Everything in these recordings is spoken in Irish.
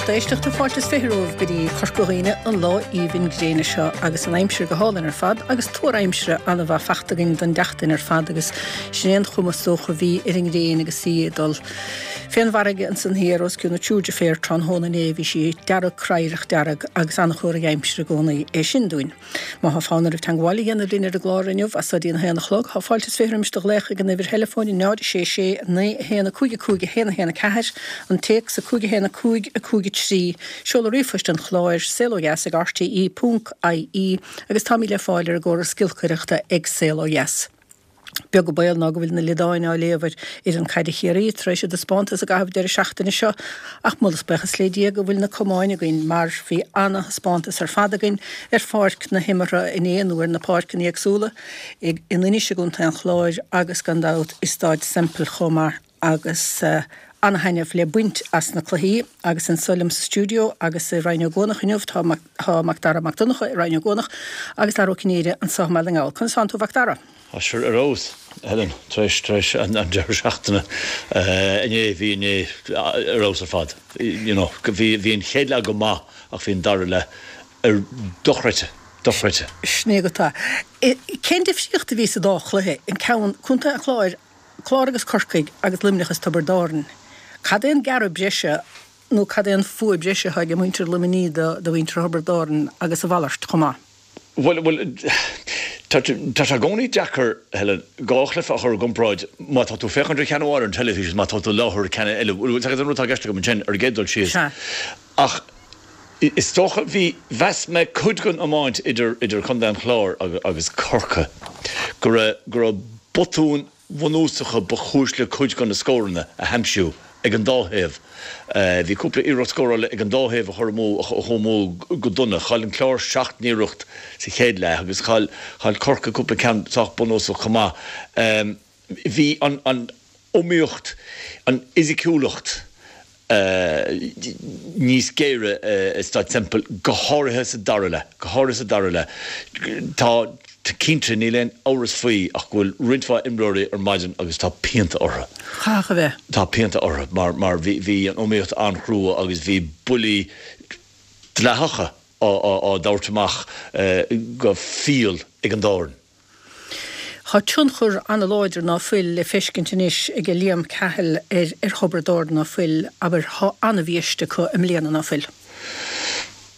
lucht éisteachta, fáilte is 20 romhaibh go dtí Corca Dhuibhne an lá aoibhinn gréine seo agus an aimsir go hálainn ar fad agus tuar aimsire an-mhaith fachta againn don tseachtain ar fad agus sin é an chuma is dócha a bhí ar an ngréin agus í ag dul fén bhfarraige ansan thiar os cionn na dtriúr deirféar tráthnóna inné. Bhí sí dearg cradharach dearg agus an-chomhartha aimsire i gcónaí é sin dúinn. Má thá fonn oraibh teangmháil a dhéanamh linn ar an gclár inniu, as so dtí an haon a chlog, thá fáilte is 20 roimis do ghlaoch ag an uimhir theileafóin 0 6 6 9 1 5 5 1 1 4, an téacs 5 1 5 5 3, seoladh ríomhphoist an chláir, saolódheas ag rte ponc ie agus táimid le fáil ar an gcóras giolcaireachta ag Saol Ó Dheas. Beag an baol ná go bhfuil na liodáin á léamh ar fhoireann caide Chiarraí tar éis a dtaispeántas i gcaitheamh deireadh seachtaine seo ach moladh is buíochas le Dia go bhfuil na camáin againn mar bhí ana-thaispeántas ar fad againn ar pháirc na himeartha inné nó ar na páirceanna éagsúla in Inis i gContae an Chláir agus gan dabht i Staid Semple chomh maith agus ana-thaitneamh le baint as na cluichí agus anso liom sa stiúideo agus i Rinn Ó gCuanach inniu tá tá Macdara Mac Donncha i Rinn Ó gCuanach agus Dara Ó Cinnéide anso i mBaile na nGall. Conas tánn tú a Mhacdara? Tá sure ar fheabhas, Helen, tar éis tar éis an deireadh seachtaine inné, bhí inné ar fheabhas ar fad. You know, bhí bhí an chéad leath go maith ach bhí an dara leath ar dochreidte, dochreidte. Sin é go tá. Cén difríocht a bhí sa dá chluiche, an ceann Contae an Chláir, Clár agus Corcaigh agus Luimneach is Tiobraid Árann? Cad é an gearradh breise nó cad é an fuath breise atá ag muintir Luimnigh do mhuintir Thiobraid Árann agus a mhalairt chomh maith? Bhuel, bhuel, tá sé i gcónaí deacair, Helen, dhá chluiche a chur i gcomparáid má tá tú féachaint ar cheann amháin ar an teilifís is má tá tú i láthair ceann eile. Bhuel, tá an rud atá i gceist agam ansin ar an gcéad dul síos. Sea. Ach is dócha, bhí, mheas mé cuid den iomáint idir, idir Contae an Chláir agus Corcaigh go raibh, go raibh botúin bhunúsacha ba chúis le cuid de na scóranna a haimsiú ag an dá thaobh. Bhí cúpla iarracht scórála ag an dá thaobh a chur amú, a chuaigh amú go dona. Chaill an Clár seacht n-iarracht sa chéad leath agus chaill Corcaigh cúpla ceann sách bunúsach chomh maith. Bhí an iomaíocht, an fhisiciúlacht, níos géire i Staid Semple, go háirithe sa dara leath. Go háirithe sa dara leath. Tá cinnte, níl aon amhras faoi ach go bhfuil roinnt mhaith imreoirí ar maidin agus tá pianta orthu. Chaithfeadh a bheith. Tá pianta orthu mar mar bhí bhí an iomaíocht an-chrua agus bhí buillí dleathacha á á dtabhairt amach go fial ag an dá fhoireann. Tá tionchar an-láidir ná fuil le feiscint anois ag Liam Cahill ar ar Thiobraid Árann ná fuil, abair, thá an-bhiaiste acu i mbliana ná fuil.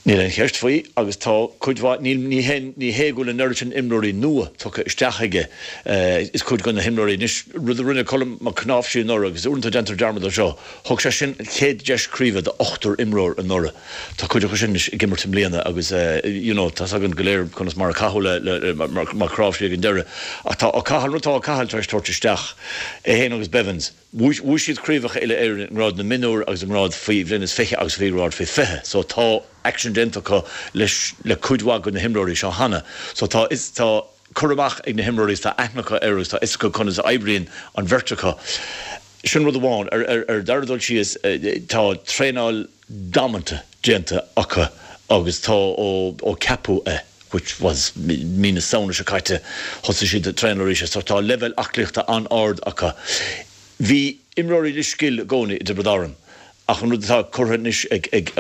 Níl aon cheist faoi agus tá cuid mhaith, níl, ní hé, ní hé go bhfuil an oiread sin imreoirí nua tugtha isteach aige, is cuid de na himreoirí anois, rud a rinne Colm Mac Cnáimhsí anuraidh agus uaireanta déantar dearmad de seo, thug sé sin an chéad deis craoibhe d'ochtar imreoir anuraidh. Tá cuid acu sin anois ag imirt i mbliana agus you know tá's againn go léir conas mar a caitheadh le Mac Cnáimhsí ag an deireadh. Ach tá Ó Cathail, rud atá Ó Cathail tar éis tabhairt isteach, é féin agus Bevins, bhuaigh siad craobhacha uile-Éireann i ngrád na mionúr agus i ngrád faoi bhliain is 20 agus faoi ghrád faoi 20 so tá aicsean déanta acu leis le cuid mhaith de na himreoirí seo cheana. So tá is tá cur amach ag na himreoirí is tá aithne acu air agus tá fhios acu conas a oibríonn an bheirt acu. Sin rud amháin. Ar an dara dul síos, tá traenáil damanta déanta acu agus tá ó ceapadh é, which was mí na Samhna seo caite, thosaigh siad ag traenáil arís so tá leibhéal aclaíochta an-ard acu. Bhí imreoirí le scil i gcónaí i dTiobraid Árann ach an rud atá curtha anois ag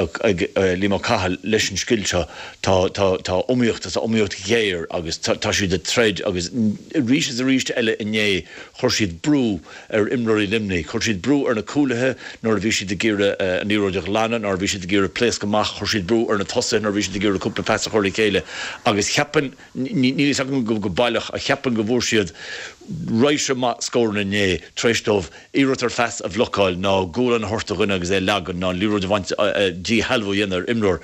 Liam Ó Cathail leis an scil seo, tá tá iomaíocht, tá iomaíocht ghéar agus tá siad ag troid agus arís is arís eile inné chuir siad brú ar imreoirí Luimnigh. Chuir siad brú ar na cúlaithe nuair a bhí siad ag iarraidh an liathróid a ghlanadh, nuair a bhí siad ag iarraidh pléascadh amach, chuir siad brú ar na tosaithe nuair a bhí siad ag iarraidh cúpla pas a chur le chéile agus cheapfainn, níl a fhios agam go baileach, ach cheapfainn go bhfuair siad raidhse maith scóranna inné tar éis dóibh iarracht ar phas a bhlocáil ná gualainn a thabhairt do dhuine agus é a leagan ná an liathróid a bhaint, díshealbhú a dhéanamh ar imreoir.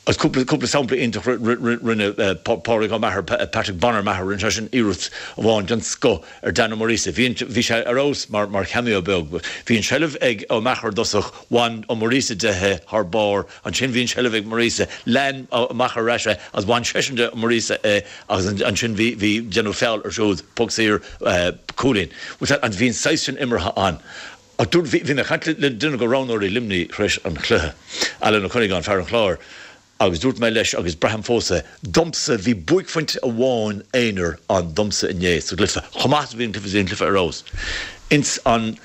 Agus cúpla, cúpla sampla iontach, rinne Pádraig Ó Meachair, Patrick Bonner Maher, rinne seisean iarracht amháin den scoth ar Dan Ó Muiríosa. Bhí an, bhí sé ar fheabhas mar, mar cameo beag. Bhí an seilbh ag Ó Meachair i dtosach, bhain Ó Muiríosa de é thar barr, ansin bhí an seilbh ag Muiríosa, lean Ó Meachair ar ais é agus bhain seisean de Ó Muiríosa é agus ansin bhí, bhí déanamh feall ar siúd, poc saor, cúilín. Bhí an saghas sin imeartha ann. Ach dúirt, bhí mé ag caint le duine de roghnóirí Luimnigh tar éis an chluiche, Alan Ó Cuinneagáin, fear an Chláir, agus dúirt mé leis, agus braithim fós é, domsa, bhí buaicphointe amháin aonair ann domsa inné sa gcluiche, chomh maith is a bhí an cluiche, bhí an cluiche ar fheabhas. Ins an,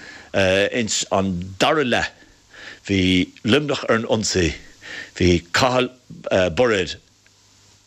ins an dara leath. Bhí Luimneach ar an ionsaí, bhí Cathal Bairéad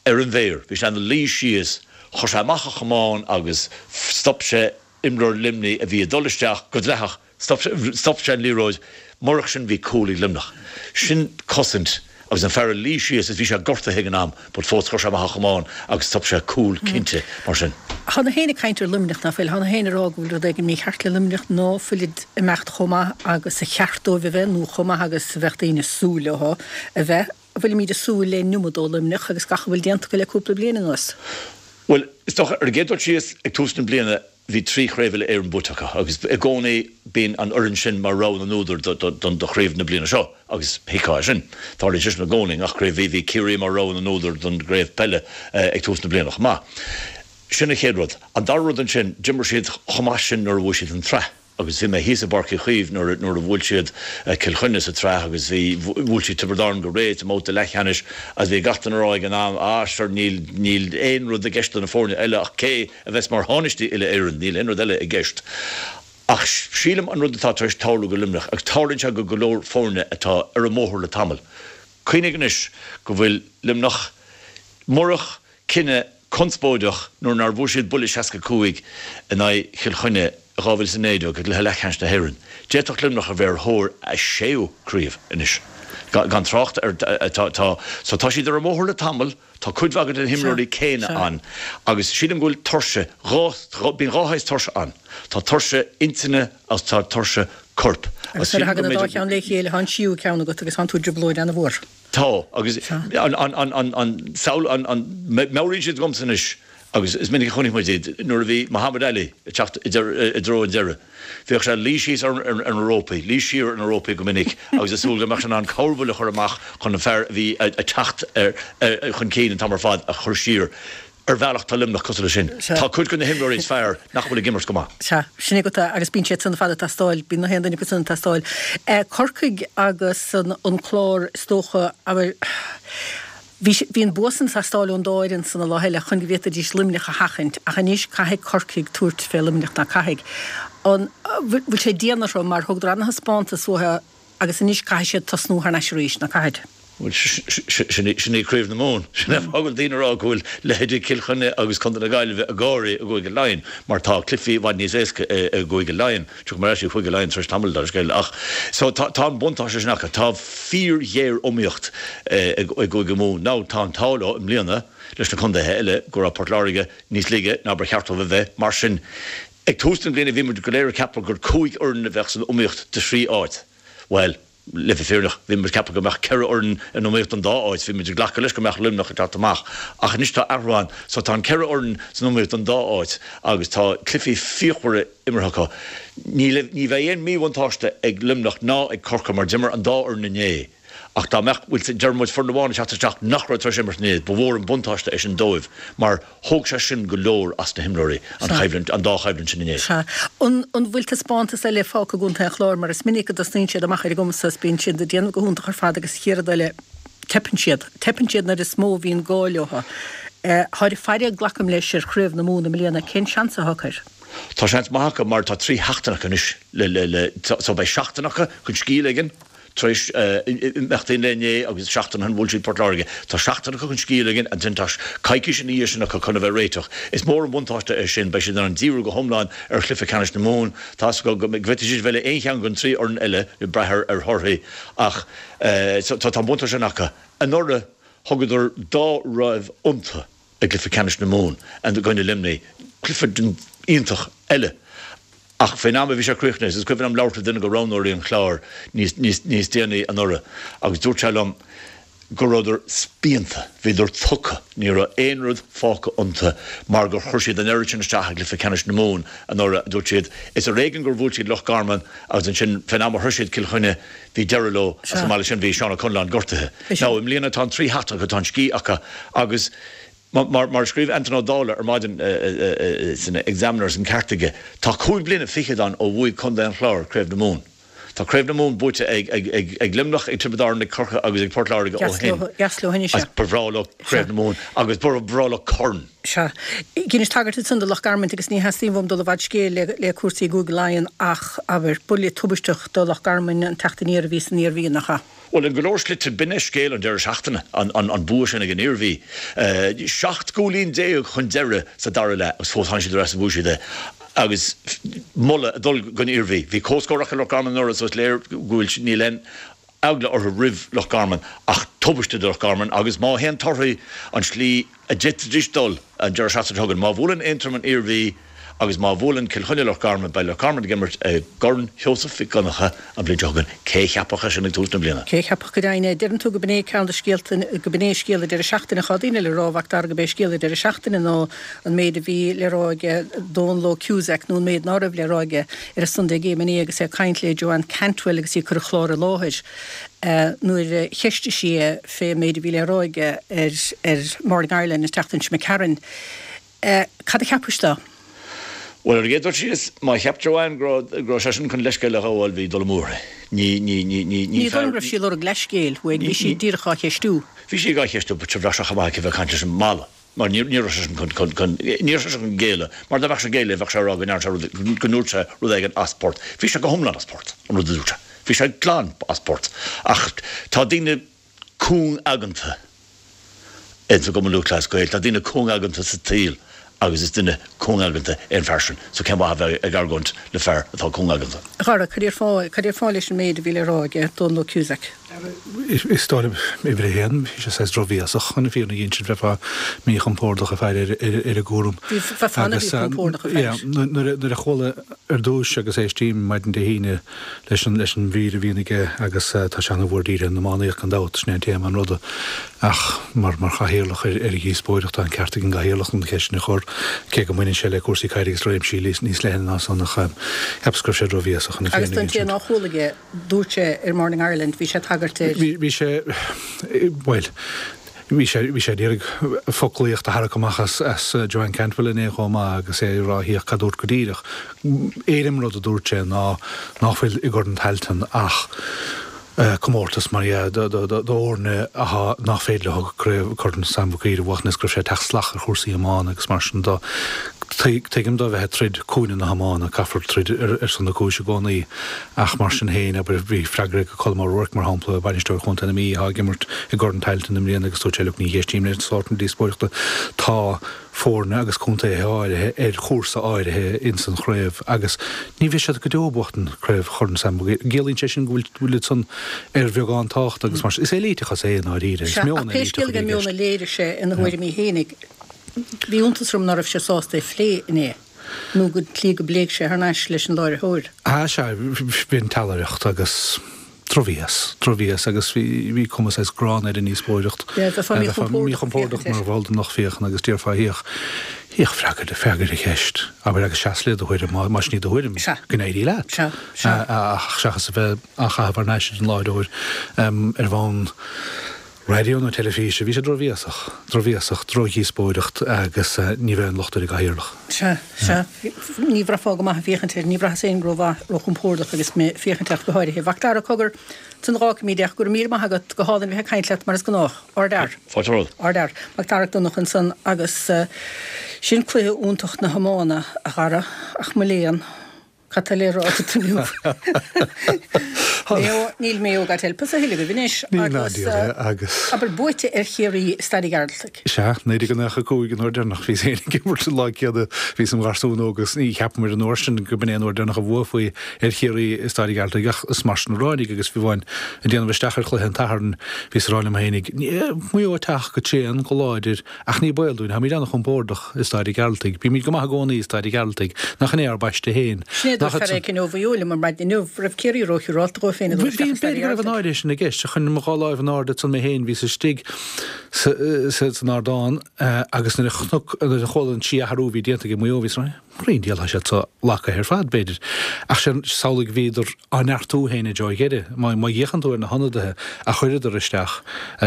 ar an mhéar, bhí sé ina luí síos, chuir sé amach a chamán agus stop sé imreoir Luimnigh a bhí ag dul isteach go dleathach, stop sé an liathróid, murach sin bhí cúl ag Luimneach. Sin cosaint agus an fear ina luí síos is bhí sé gortaithe ag an am but fós chuir sé amach a chamán agus stop sé cúl cinnte mar sin. Tá gach éinne ag caint ar Luimneach ná fuil? Tá gach éinne ag rá go bhfuil rud éigin mícheart le Luimneach, ná fuilid ag imeacht chomh maith agus a cheart dóibh a bheith nó chomh maith agus a bheadh daoine ag súil leo a bheith. An bhfuilimid ag súil le an iomad ó Luimneach agus gach a bhfuil déanta acu le cúpla bliain anuas? Bhuel, is dócha, ar an gcéad dul síos, ag tús na bliana, bhí trí chraobh uile-Éireann buaite acu agus i gcónaí bíonn an fhoireann sin mar rogha na n-údar do chraobh na bliana seo agus thuigfeá é sin. Tarlaíonn sé sin i gcónaí i ngach craobh. Bhí Ciarraí mar rogha na n-údar don gcraobh peile ag tús na bliana chomh maith. Sin an chéad rud. An dara rud ansin, d'imir siad chomh maith sin nuair a bhuaigh siad an tsraith. Agus bhí mé thíos i bPáirc Uí Chaoimh nuair nuair a bhuail siad Cill Chainnigh sa tsraith agus bhí, bhuail siad Tiobraid Árann go réidh sa mbabhta leathcheannais agus bhí gach duine a rá ag an am, ah sure níl, níl aon rud i gceist do na foirne eile ach cé a bheas mar thánaistí uile-Éireann, níl aon rud eile i gceist. Ach sílim an rud atá tar éis tarlú go Luimneach, agus tarlaíonn sé go go leor foirne atá ar an mbóthar le tamall, cuimhnigh anois go bhfuil Luimneach, murach cinneadh conspóideach nuair nár bhuail siad buille 65 in aghaidh Chill Chainnigh i 2019 i gcluiche leathcheannais na hÉireann. D'fhéadfadh Luimneach a bheith ar thóir a séú craobh anois, gan trácht ar tá so tá siad ar an mbóthar le tamall, tá cuid mhaith de na himreoirí céanna ann agus sílim go bhfuil tuirse, dhá, bíonn dhá shaghas tuirse ann, tá tuirse intinne agus tá tuirse coirp agus sílim go mb'fhéidir. Agus nuair a thagann an dá cheann le chéile, tá an tríú ceann agat agus tánn tú i dtrioblóid an-mhór. Tá, agus an, an, an, an, an, samhail, an, an, meabhraíonn siad dhomsa anois, agus is minic a chonaic muid iad, nuair a bhí Muhammad Ali ag teacht i dtreo an deiridh, bhíodh sé ag luí síos ar, ar, ar na rópaí, luí siar ar na rópaí go minic agus ag súil go mbeadh sé in ann corrbhuille a chur amach chun an fear a bhí ag teacht ar, ar, chun cinn an t-am ar fad a chur siar. Ar bhealach tá Luimneach cosúil leis sin. Tá cuid de na himreoirí is fearr nach bhfuil ag imirt go maith. Sea, sin é agat é agus bíonn siad san ar fad ag teastáil, bíonn na haon duine acu san ag teastáil. Corcaigh agus an Clár is dócha, abair, bhí, bhí an bua san ag teastáil ón dá fhoireann san an lá eile chun go bhféadfaidís Luimneach a sheachaint ach anois caithfidh Corcaigh tabhairt fé Luimneach ná caithfidh? An bhfuil sé dian orthu mar thugadar ana-thaispeántas uathu agus anois caithfidh siad tosnú thar n-ais arís, ná caithfidh? Bhuel, sin í Craobh na Mumhan. Sin é an fáth go bhfuil daoine ag rá go bhfuil leithéidí Cill Chainnigh agus Contae na Gaillimhe ag gáirí i gCúige Laighean mar tá cluichí i bhfad níos éasca i gCúige Laighean. Tiocfaidh mé ar ais go Cúige Laighean tar éis tamaill, dar scéal. Ach so tá an buntáiste sin acu. Tá fíor-ghéar-iomaíocht i gCúige Mumhan. Now tá an t-ádh leo i mbliana leis na contaetha eile go raibh Port Láirge níos laige ná ba cheart dóibh a bheith. Mar sin, ag tús na bliana bhí muid go léir ag ceapadh gur chúig fhoireann a bheadh san iomaíocht do thrí áit. Bhuel, le bheith fírinneach, bhí muid ag ceapadh go mbeadh 4 fhoireann in iomaíocht don dá áit, bhí muid ag glacadh leis go mbeadh Luimneach ag teacht amach, ach anois tá athrú ann, so tá an 4 fhoireann san iomaíocht don dá áit agus tá cluichí fíochmhara imeartha acu. Ní ní bheidh aon míbhuntáiste ag Luimneach ná ag Corcaigh mar d'imir an dá fhoireann inné, ach dá mbeadh, bhuel, deir muid foireann amháin ag teacht isteach nach raibh tar éis imirt inné, ba mhór an buntáiste é sin dóibh mar Thóg sé sin go leor as na himreoirí, an choimhlint, an dá choimhlint sin inné. Sea. An bhfuil taispeántas eile fágtha i gContae an Chláir mar is minic go dtosnaíonn siad amach ar a gcumas is bíonn siad ag déanamh go hiontach ar fad agus an chéad rud eile teipeann siad. Teipeann siad nuair is mó a bhíonn gá leo. Táid ag faire, glacaim leis, ar Chraobh na Mumhan i mbliana. Cén seans atá acu air? Tá seans maith acu mar tá 3 sheachtain acu anois le, le, le, so beidh seachtain acu chun scíth a ligean. Tar éis imeachtaí an lae inné agus seachtain ó shin bhuail siad Port Láirge. Tá seachtain acu chun scíth a ligean ansin tá coicís ina dhiaidh sin acu chun a bheith réiteach. Is mór an buntáiste é sin. Beidh siad in ann díriú go hiomlán ar chluiche ceannais na Mumhan. Tá a fhios acu go bhféadfaidh siad bheith le aon cheann den trí fhoireann eile, ag brath ar thorthaí, ach tá an buntáiste sin acu. Anuraidh thugadar dá raibh iontu. i gcluiche ceannais na Mumhan i gcoinne Luimnigh, cluiche iontach eile. Ach fén am a bhí sé críochnaithe, is cuimhin liom labhairt le duine de roghnóirí an Chláir níos, níos, níos déanaí anuraidh agus dúirt sé liom go rabhadar spíonta, bhíodar tugtha, ní raibh aon rud fágtha iontu mar gur chuir siad an oiread sin isteach i gcluiche ceannais na Mumhan anuraidh, a dúirt siad. Is ar éigean gur bhuail siad Loch Garman agus ansin fén am a shroich siad Cill Chainnigh, Bhí deireadh leo agus chomh maith leis sin bhí Seán Ó Conluain gortaithe. Now i mbliana tá an trí sheachtain acu, tá an scíth acu agus mar a scríobh Antaine Ó Dálaigh ar maidin san Examiner, is an ceart aige, tá cúig bliana fichead ann ó bhuaigh Contae an Chláir Craobh na Mumhan. Tá Craobh na Mumhan buaite ag ag ag Luimneach, ag Tiobraid Árann, ag Corcaigh agus ag Port Láirge ó shin. Dheas leo anois, sea. Ba bhreá leo Craobh na Mumhan agus ba bhreá leo corn. Sea. Dheinis tagairt ansan do Loch Garman agus ní theastaíonn uaim dul i bhfad scéil le le cúrsaí i gCúige Laighean ach, abair, buille tubaisteach do Loch Garman an teacht aniar a bhí san Iarmhí, nach ea? Bhuel, in go leor slite, b'in é scéal an deireadh seachtaine, an bua sin ag an Iarmhí. 17 gcúilín chun deiridh sa dara leath agus fós tháinig siad ar ais is bhuaigh siad é. Agus moladh ag dul don Iarmhí. Bhí comhscór acu le Loch Garman anuraidh so is léir go bhfuil, níl aon eagla orthu roimh Loch Garman ach tubaiste do Loch Garman agus má théann torthaí an tslí a d'fhéadfaidís dul an deireadh seachtaine seo chugainn. Má bhuaileann Aontroim an Iarmhí agus má bhuaileann Cill Chainnigh Loch Garman, beidh Loch Garman ag imirt i gCorn Sheosaimh Mhic Dhonncha an bhliain seo chugainn. Cé a cheapfadh é sin ag tús na bliana? Cé a cheapfadh go deimhin é? Deireann tú go b'in é ceann de scéalta, go b'in é scéal an deireadh seachtaine. Tá daoine le rá, a Mhac Dara, go b'é scéal an deireadh seachtaine ná an méid a bhí le rá aige Dónal Óg Cusack nó an méid ná raibh le rá aige ar an Sunday Game inné agus é ag caint le Joanne Cantwell agus í ag cur an chláir i láthair. Nuair a cheistigh sí é fé an méid a bhí le rá aige ar ar Morning Ireland an tseachtain seo imigh tharainn, cad a cheapais de? Bhuel, ar an gcéad dul síos, má cheap Joanne go raibh go raibh seisean chun leithscéal a ghabháil, bhí dul amú uirthi. Ní, ní, ní, ní, ní Ní dóigh liom go raibh sí ag lorg leithscéil uaidh, bhí sí díreach á cheistiú. Bhí sí á cheistiú, but bheadh sé chomh maith aici a bheith ag caint leis an mballa. Mar ní raibh seisean chun, chun, chun, ní raibh seisean chun géilleadh, mar dá mbeadh sé ag géilleadh bheadh sé ag rá go ndearna sé rud, go ndúirt sé rud éigin as port. Bhí sé go hiomlán as port, an rud a dúirt sé. Bhí sé glan as port. Ach tá daoine cúng-aigeanta ins an gCumann Lúthchleas Gael, tá daoine cúng-aigeanta sa tsaol agus is duine cúng-aigeanta é an fear sin. So cén mhaith a bheith ag argóint le fear atá cúng-aigeanta? A Dhara, cad é ar fáth, cad é ar fáth leis an méid a bhí le rá aige Dónal Óg Cusack? Is dóigh liom, uimhir a haon, bhí sé saghas drochbhéasach chun an fírinne a insint, bheifeá míchompordach ag faire ar an gcúram. Bheifeá an-mhíchompordach ag faire. Nuair a chuala ar dtúis agus éistím maidin Dé hAoine leis an leis an mhír a bhíonn aige agus tá sé ana-mhór dírithe ar an iománaíocht gan dabht, sin é an téama an ruda. Ach mar mar chathaoirleach ar ar an dhíospóireacht tá an ceart ag an gcathaoirleach an cheist sin a chur, cé go mbaineann sé le cúrsaí caide agus réimsí níos leithne ná san ach cheapas go raibh sé drochbhéasach chun an Agus fírinne a don té insint. nár chuala é, Dúirt sé ar Morning Ireland, bhí sé ag tagairt ar. Bhí sé, bhuel, bhí sé, bhí sé ag iarraidh foclaíocht a tharrac amach as, as Joanne Cantwell inné chomh maith agus é ag rá thíoch cad dúirt go díreach. Éirim rud a dúirt sé ná ná fuil i gCorn Tailteann ach comórtas mar dhea do, do, do, d'fhoirne athá nach féidir leo craobh Corn Sam Mhic Uidhir a bhuachan is go raibh sé ag teacht salach ar chúrsaí iomána agus mar sin do. Tuigim do bheith ag troid cúinne na hiomána, caithfear troid ar, ar son na cúise i gcónaí. Ach mar sin féin, abair, bhí freagra ag Colm O'Rourke, mar shampla, bainisteoir chontae na Mí, atá ag imirt i gCorn Tailteann i mbliana agus dúirt sé, look, ní éistím leis an sórt sin díospóireachta. Tá foirne agus contaetha áirithe ar chúrsa áirithe ins an chraobh agus ní bheidh siad go deo ag buachtan Craobh Chorn Sam Maguire. Ciallaíonn sé sin go bhfuil bhfuil san ar bheagán tábhachta agus mar sin. Is éilíteachas é i ndáiríre. Is meon ach pé scéal éilíteach a é bhí i meon gceist. a léirigh sé ina thuairimí fhéinig, bhí iontas orm ná raibh sé sásta é a phlé inné. nó go tslí go bpléigh sé thar n-ais leis an láithreoir. Ah sea, bhí an teallaireacht agus drochbhéas, drochbhéas agus bhí, bhí cuma saghas gránna ar an ndíospóireacht. Yeah, bheifeá míchompordach míchompordach mar bhall den lucht féachana agus déarfá thíoch, thíoch freagair, freagair an cheist, abair agus seas le do thuairim, má, más sin í do thuairim, Sea. go n-éirí leat. Sea, sea. Ach seachas a bheith á chaitheamh thar n-ais ar an láithreoir ar bhonn, Raidió nó teilifíse, bhí sé drochbhéasach, drochbhéasach, drochdhíospóireacht agus ní bheadh aon locht ar an gcathaoirleach. Sea, sea, ní bhraithfeá go maith ag féachaint air, ní bhraitheas féin rómhaith, róchompordach agus mé ag féachaint ach go háirithe. Mhac Dara, cogar, ansan a dh'fhágfaimid é ach go raibh míle maith agat, go hálainn bheith ag caint leat mar is gnách. Ardfhear. Fáilte romhat. Ardfhear. Mac Dara Mac Donncha ansan agus sin cluiche iontach na hiomána, a Dhara, ach mo léan. Cad tá le rá agat inniu? Maigh Eo, níl Maigh Eo God help us a thuilleadh agaibh anois Níl ná agus diabhal é agus. abair buaite ar Chiarraí i Staid an Ghearaltaigh. Sea, 1995 an uair deireanach bhíos féin ag imirt an lá céanna bhíos im gharsún óg agus ní cheapamair an uair sin go b'in é an uair deireanach a bhuafaí ar Chiarraí i Staid an Ghearaltaigh ach is mar sin a ráinig agus fiú amháin ag déanamh isteach ar chluiche an tSathairn bhíos ag rá liom féinig Maigh Eo ag teacht go tréan, go láidir Ach ní baol dúinn, táimid an-chompordach i Staid an Ghearaltaigh. Bímid go maith i gcónaí i Staid an Ghearaltaigh. Nach in é ár bpaiste féin? Sin é a dúirt fear éicint ó Mhaigh Eo liom ar maidin inniu, raibh Ciarraí róshiúrálta dhóibh féin ag dul isteach i Staid B'fhéidir go raibh an an áirithe sin i gceist. Chuir mo dhá láimh in airde ansan mé féin, bhíos istigh san ardán agus nuair a chonac, nuair a chuala an sí-athrú a bhí déanta ag Maigh Eo, bhíos ag rá, Cén diabhal, tá siad so lagaithe ar fad, b'fhéidir. Ach samhlaigh, bhíodar á neartú féin i dtreo dheiridh. Má fhéachann tú ar na hionadaithe a chuireadar isteach,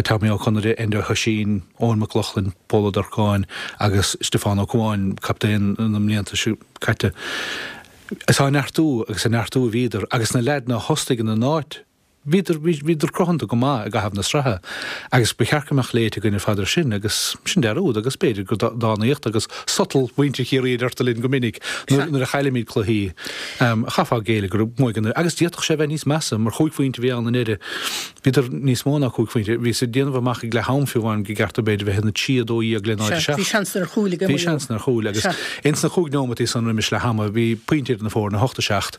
Tommy Ó Conaire, Enda Ó hOisín, Eoin Mac Lochlainn, Pól Ó Durcáin agus Stiofán Ó Cuáin, captaen na mblianta seo caite. Is á neartú agus ag neartú a bhíodar agus na leaideanna a thosaigh ina n-áit, bhíodar, bhíodar cruthanta go maith i gcaitheamh na sraithe agus ba cheart go mbeadh léite againn ar fad ar sin agus sin dearúd agus b'fhéidir gur dánaíocht agus sotal mhuintir Chiarraí a deirtear linn go minic nuair a chaillimid cluichí. Chaithfeá géilleadh go raibh muid agus d'fhéadfadh sé a bheith níos measa mar chúig phointe a bhí ann i ndeireadh. Bhíodar níos mó ná cúig phointe. Bhíos ag déanamh amach ag leath am fiú amháin go gceart dó b'fhéidir bheith ina 3 12 le 0 7. Bhí seans ar chúil ag Bhí seans ar chúil agus ins na chúig neomataí san roimis leath ama bhí pointe idir na foirne, 8 7.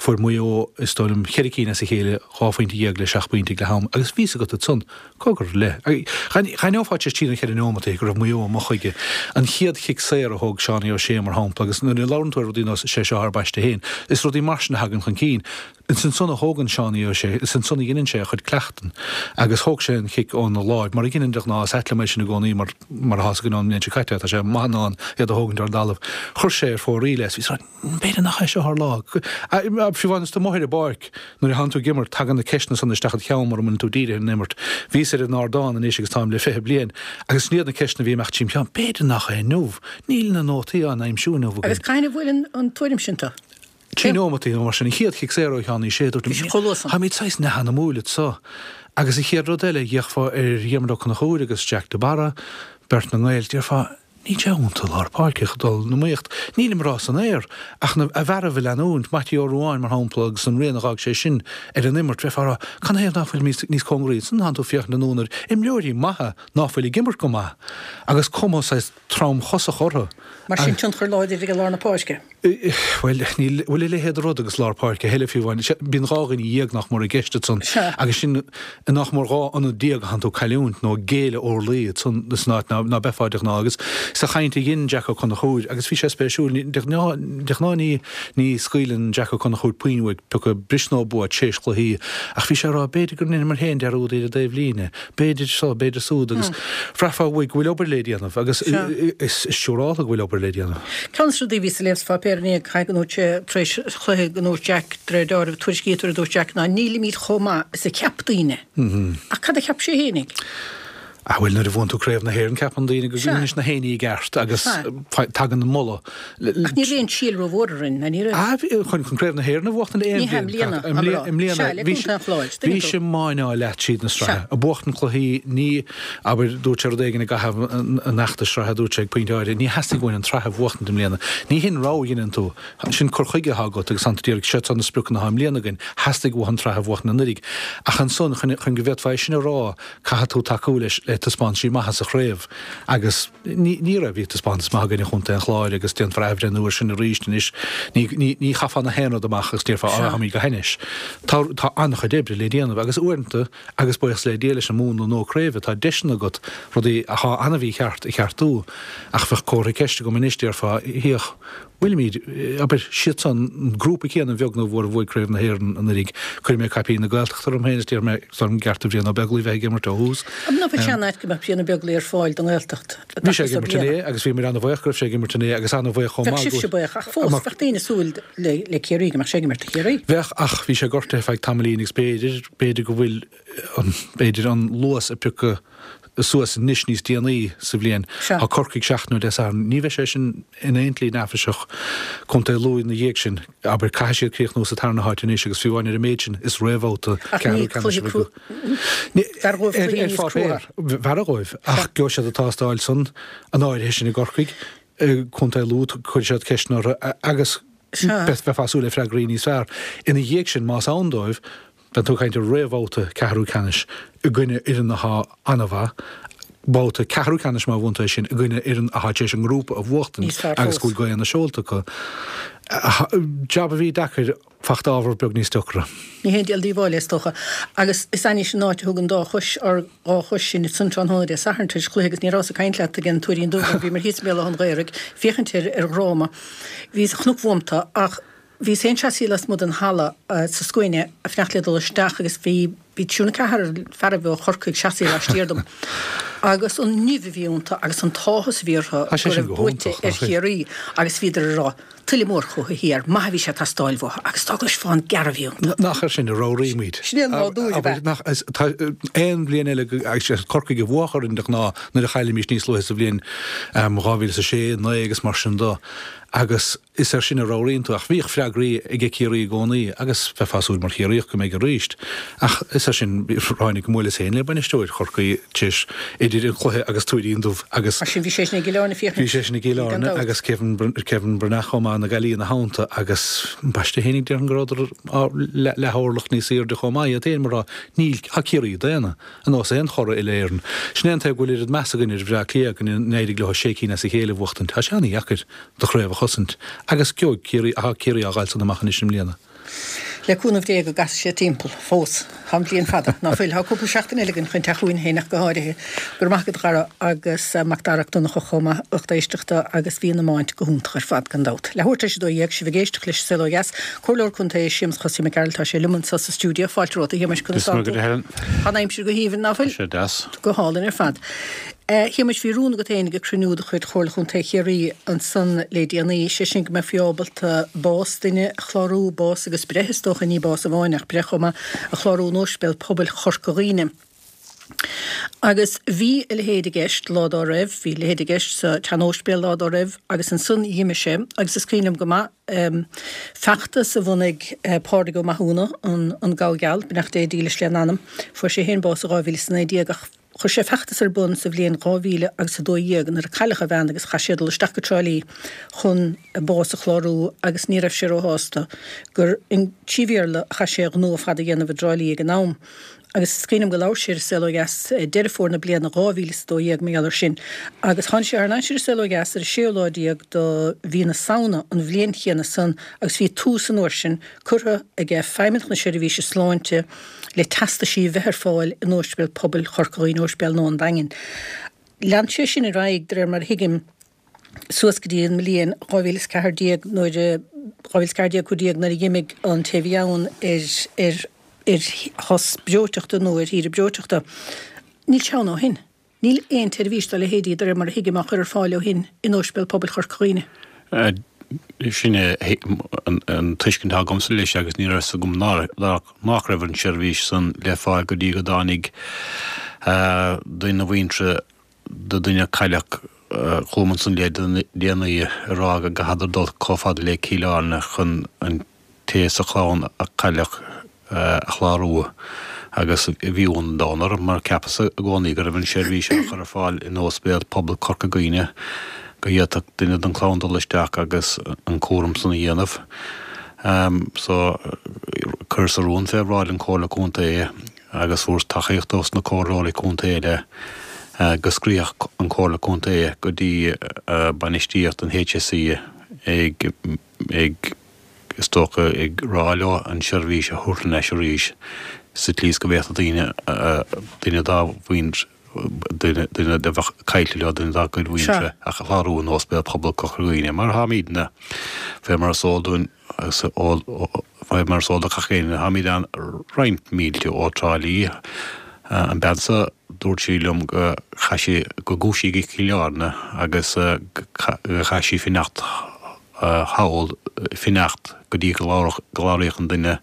Fuair Maigh Eo is dóigh liom cheithre cinn as a chéile, dhá phointe dhéag le seacht bpointe ag leath am agus bhí 's agat ansan cogar le. Dh'aithneofá tar éis trí nó cheithre neomataí go raibh Maigh Eo amuigh chuige. An chéad chic saor a thóg Seánie O'Shea mar shampla agus nuair a labhrann tú ar rudaí nós sé seo ár bpaiste féin, is rudaí mar sin a thagann chun cinn. Is ansan a thógann Seánie O'Shea, is ansan a dheineann sé a chuid cleachtan. Agus thóg sé an chic óna láimh, mar a dheineann de ghnáth, is ait liom é sin i gcónaí mar, mar atá 's againn ón mbliain seo caite, tá sé maith in ann iad a thógaint ar an dtalamh. Chuir sé ar fóraoil é, is bhí b'fhéidir nach é seo ár lá. Fiú amháin is tú amuigh ar an bpáirc, nuair a thánn tú ag imirt, tagann na ceisteanna san isteach id cheann mura mbíonn tú dírithe ar an imirt. Bhíos ar an ardán anois agus táim le 20 bliain, agus sin iad na ceisteanna a bhí ag imeacht tríom cheann, b'fhéidir nach é inniu, níl na nótaí á n-aimsiú inniu againn. Agus cathain a bhuaileann an tuairim sin tú? Trí neomataí nó mar sin, an chéad chic saor ó Sheánie O'Shea, dúirt liom, táimid saghas neamhanamúil anso. Agus an chéad rud eile, d'fhéachfá ar Dhiarmuid Ó Conchúir agus Jack de Barra, beirt na nGael, déarfá, níl sé iontu lár páirce ag dul in iomaíocht. Nílim ag rá san aer, ach na fearaibh a leanúint, Mattie Ó Ruadháin, mar shampla, agus an rian a dh'fhág sé sin ar an imirt, bheifeá ag rá, canathaobh ná fuilimid níos cóngaraí? Ansan tánn tú ag féachaint anonn ar imreoirí maithe ná fuil ag imirt go maith, agus cuma saghas tromchosach orthu. Mar sin, tionchar láidir ag lár na páirce. Bhuel, níl, bhfuil a leithéid de rud agus lár páirce a thuilleadh fiú amháin. Bíonn 12 dhuine nach mór i gceist ansan agus sin nach mór 12 ionad a thánn tú ag cailliúint nó ag géilleadh orlaí ansan san áit ná beifeá de ghnáth. Agus sa chaint a dhein Jack Ó Conchúir, agus bhí sé spéisiúil, de ghnáth, de ghnáth ní, ní scaoileann Jack Ó Conchúir puinn uaidh pé acu bris nó bua tréis cluichí ach bhí sé ag rá b'fhéidir gur dheineamar féin dearúd ar an dtaobh líne. B'fhéidir seo, b'fhéidir súd agus bhraithfeá uaidh go bhfuil obair le déanamh agus is siúrálta go bhfuil obair le déanamh. Ceann de na rudaí a bhíos ag léamh sa pháipéar inné, caithfidh go ndúirt sé tar éis chluiche go ndúirt Jack, de réir dealraimh, tuairiscítear a dúirt Jack ná nílimid chomh maith is a cheap daoine. Ach cad a cheap sé fhéinig? Ah bhuel nuair a bhuann tú Craobh na hÉireann ceapann daoine go bhfuil na héinní i gceart agus tagann an moladh. Ach ní raibh aon síol rómhór orainn, ná ní raibh? Ah bhí, chun Craobh na hÉireann a bhuachtaint aon Ní hea, i mbliana, I mbliana, i mbliana, Sea, le Contae an Chláir, tuigeann bhí tú. sé máineáil leat tríd na sraithe. Ag buachtaint cluichí, ní, abair, dúirt sé rud éigin i gcaitheamh an fheachtais sraithe, dúirt sé ag pointe áirithe, ní theastaigh uainn an tsraith a bhuachtaint i mbliana. Ní hin rogha a dheineann tú. Sin cur chuige atá agat agus tánn tú d'iarraidh, siad seo na spriocanna atá i mbliana againn, theastaigh uathu an tsraith a bhuachtaint anuraidh. Ach ansan, chun, chun go bhféadfá é sin a rá, caithfidh tú tacú leis le taispeántaisí maithe sa chraobh agus ní, ní raibh, bhí taispeántas maith againn i gContae an Chláir agus déanfar athbhreithniú air sin arís anois. Ní, ní, ní chaithfeá na haon rud amach agus déarfá, Á, táimid go hainnis. Tá, tá an-chuid oibre le déanamh agus uaireanta, agus buíochas le Dia leis an múnla nua craoibhe, tá deiseanna agat rudaí athá an-mhícheart a cheartú ach bheadh comhartha ceiste agam anois, déarfá, féach, Bhfuilimid, abair, siadsan, an grúpa céanna a bheag nó a mhór a bhuaigh Craobh na hÉireann anuraidh. Cuirfidh mé caipín na Gaeltachta orm féin is déarfaidh mé is dóigh liom gur ceart do Bhrian Ó Beaglaoich bheith ag imirt ó thús. An mbeadh sé an-ait go mbeadh Brian Ó Beaglaoich ar fáil don nGaeltacht i Bhí sé ag imirt inné agus bhíomar an-bhuíoch go raibh sé ag imirt inné agus an-bhuíoch chomh maith go. Bheadh sibhse buíoch ach fós bheadh daoine ag súil le Ciarraí go mbeadh sé ag imirt do Chiarraí. Bheadh ach bhí sé gortaithe ar feadh tamaillín agus b'fhéidir, b'fhéidir go bhfuil an, b'fhéidir an luas ag piocadh suas anois níos déanaí sa bhliain. Tá Corcaigh seachtain ó Dé Sathairn. Ní bheidh sé sin in aon tslí neafaiseach. Contae Lú ina dhiaidh sin. Abair, caithfidh siad críochnú sa tarna háit anois agus fiú amháin ar an méid sin, is réamhbhabhta ceathrú ceannais a bheidh Ar pháipéar, b'fhearra dhóibh. Ach gheobhaidh siad an tástáil san, an áirithe sin i gCorcaigh. Contae Lú, cuirfidh siad ceisteanna orthu agus bheifeá ag súil le freagraí níos fearr. Ina dhiaidh sin, más ann dóibh, Bheadh tú ag caint ar réamhbhabhta ceathrú ceannais i gcoinne fhoireann athá an-mhaith, babhta ceathrú ceannais má bhuann tú é sin i gcoinne fhoireann athá tar éis an ngrúpa a bhuachtaint agus go bhfuil gaoth na seolta acu. Jab a bhí deacair, fachta ábhar beag níos deacra. Ní haon díol díobháil é, is dócha. Agus is ainnis an áit a thug an dá chois, ár dhá chois sinn ansan tráthnóna Dé Sathairn tar éis cluiche agus ní rabhas ag caint leat ag an Tuairín Dubh mar bhíomar thíos i mBéal Átha an Ghaorthaidh féachaint ar ar dhráma. Bhíos, chonac uamta ach Bhíos féin seasaithe lasmuigh den halla sa scuaine ag fanacht le dul isteach agus bhí bhí triúr nó ceathrar fearaibh ó Chorcaigh seasaithe laistiar dom. Agus an nimh a bhí iontu agus an t-áthas a bhí orthu Tá sé go sin raibh go buaite hiontach, ar nach é? Chiarraí agus bhíodar ag rá, tuilleadh mór chucu thiar, maith a bhí sé ag teastáil uathu agus dá gcloisfeá an gearradh a bhí iontu. Nach air sin a ramhraímid. Sin é an nádúr, ab ea? Nach, is, tá aon bhliain eile go, agus is Corcaigh a bhuafadh orainn de ghnáth nuair a chaillimis níos luaithe sa bhliain 2006, 9 agus mar sin do. Agus is air sin a ramhraíonn tú. Ach bhíodh freagraí aige Ciarraí i gcónaí agus bheifeá ag súil mar Chiarraíoch go mbeidh arís. Ach is air sin, ráinig go mbuaileas féin le bainisteoir Chorcaí tar éis idir an cluiche agus Tuairín Dubh agus. Mar sin bhí seisean i gCill Airne féachaint. Bhí seisean i gCill Airne agus Kevin Kevin Breathnach chomh maith na Gaillimhe ina theannta agus ambaiste féinig déarfainn go rabhadar leath-orlach níos airde chomh maith iad féin mar tá níl tá Ciarraí daonna. Ar nós aon churaidh uile-Éireann. Sin é an taobh go bhfuil oiread meas againn ar Bhleá Cliath go n-éirigh leo sé cinn as a chéile a bhuachtaint. Tá sé an-dheacair do chraobh a chosaint. Agus gheobhaidh Ciarraí, tá Ciarraí á ghabháil san amach anois i mbliana. Le cúnamh Dé go gcasfaidh sé timpeall. Fós. Tá an bhliain fada, ná fuil? Tá cúpla seachtain eile againn chun teacht chugainn féin ach go háirithe. Go raibh maith agat a Dhara agus Macdara Mac Donncha chomh maith, lucht éisteachta agus bhí an iomáint go hiontach ar fad gan dabht. Leathuair tar éis 12, sibh ag éisteacht leis an Saol Ó Dheas. Comhairleoir Contae Séamus Chosaí Mac Gearailt, tá sé liom anseo sa stiúideo. Fáilte romhat a Shéamais, conas tá tú? Tá an aimsir go haoibhinn, ná fuil? Tá sé deas. Go hálainn ar fad. A Shéamais, bhí rún agat féin ag cruinniú de chuid Chomhairle Chontae Chiarraí ansan le déanaí, sé sin go mbeifí ábalta bás duine a chlárú, bás agus breith is dócha, ní bás amháin ach breith chomh maith, a chlárú in Ospidéal Pobail Chorca Dhuibhne. Agus bhí a leithéid i gceist lá dá raibh, bhí a leithéid i gceist sa tsean-óispidéal lá dá raibh agus ansan dh'imigh sé agus is cuimhin liom go maith feachtas a bhunaigh Pádraig Ó Mathúna, an Gabha Geal, beannacht Dé dílis lena anam, fuair sé féin bás i 2019 ach chuir sé feachtas ar bun sa bhliain 2000 agus 12 nuair a cailleadh a bhean agus chaith sé dul isteach go Trá Lí chun bás a chlárú agus ní raibh sé róshásta gur trí Bhéarla a chaith sé a ghnó ar fad a dhéanamh i dTrá Lí ag an am. Agus is cuimhin liom go labhair sé ar An Saol Ó Dheas Deireadh Fómhair na bliana 2012 mar gheall air sin. Agus tháinig sé thar n-ais ar An Saol Ó Dheas ar an séú lá déag do mhí na Samhna an bhliain chéanna san agus bhí tús an uair sin curtha aige Feidhmeannacht na Seirbhíse Sláinte le teastaisí a bheith ar fáil in Ospidéal Pobail Chorca Dhuibhne, Ospidéal nua an Daingin. Lean sé sin ar aghaidh, de réir mar a thuigim, suas go dtí an mbliain 2014 nuair a, 2014, 15 nuair a dh'imigh an té a bhí ann ar, ar, ar shos breoiteachta nó ar shaoire breoiteachta. Níl sé ann ó shin. Níl aon tseirbhís dá leithéidí, de réir mar a thuigim, á chur ar fáil ó shin in Ospidéal Pobail Chorca Dhuibhne. Sin é an tuiscint atá agamsa leis agus ní raibh fhios agam nach raibh an tseirbhís san le fáil go dtí go dtáinig duine de mhuintir do dhuine a cailleadh chugam ansan le déanaí ag rá go gcaithfeadar dul chomh fada le Cill Airne chun an té sa chlann a cailleadh a chlárú agus bhí ionadh an domhain orm mar cheapas i gcónaí go raibh an seirbhís á chur ar fáil in Ospidéal Pobail Chorca Dhuibhne go bhféadfadh duine den chlann dul isteach agus an cúram san a dhéanamh. So chuireas rún fé bhráid an Chomhairle Contae agus fuaireas tacaíocht ós na comhairleoirí contae eile go scríobhfadh an Chomhairle Contae go dtí bainistíocht an HSE ag ag is dócha ag rá leo an seirbhís a thabhairt thar n-ais arís sa tslí is go bhféadfadh daoine duine dá mhuintir duine duine a bheadh caillte leo duine dá gcuid mhuintire a chlárú in Ospidéal Pobail Chorca Dhuibhne mar táimidne fé mar is eol dúinn Agus fé mar is eol do gach éinne, táimid ann roinnt mílte ó Trá Lí. An bean so, dúirt sí liom go chaith sí, go gcuaigh sí go Cill Airne agus go chaith sí fanacht thall, fanacht go dtí go gcláraíodh an duine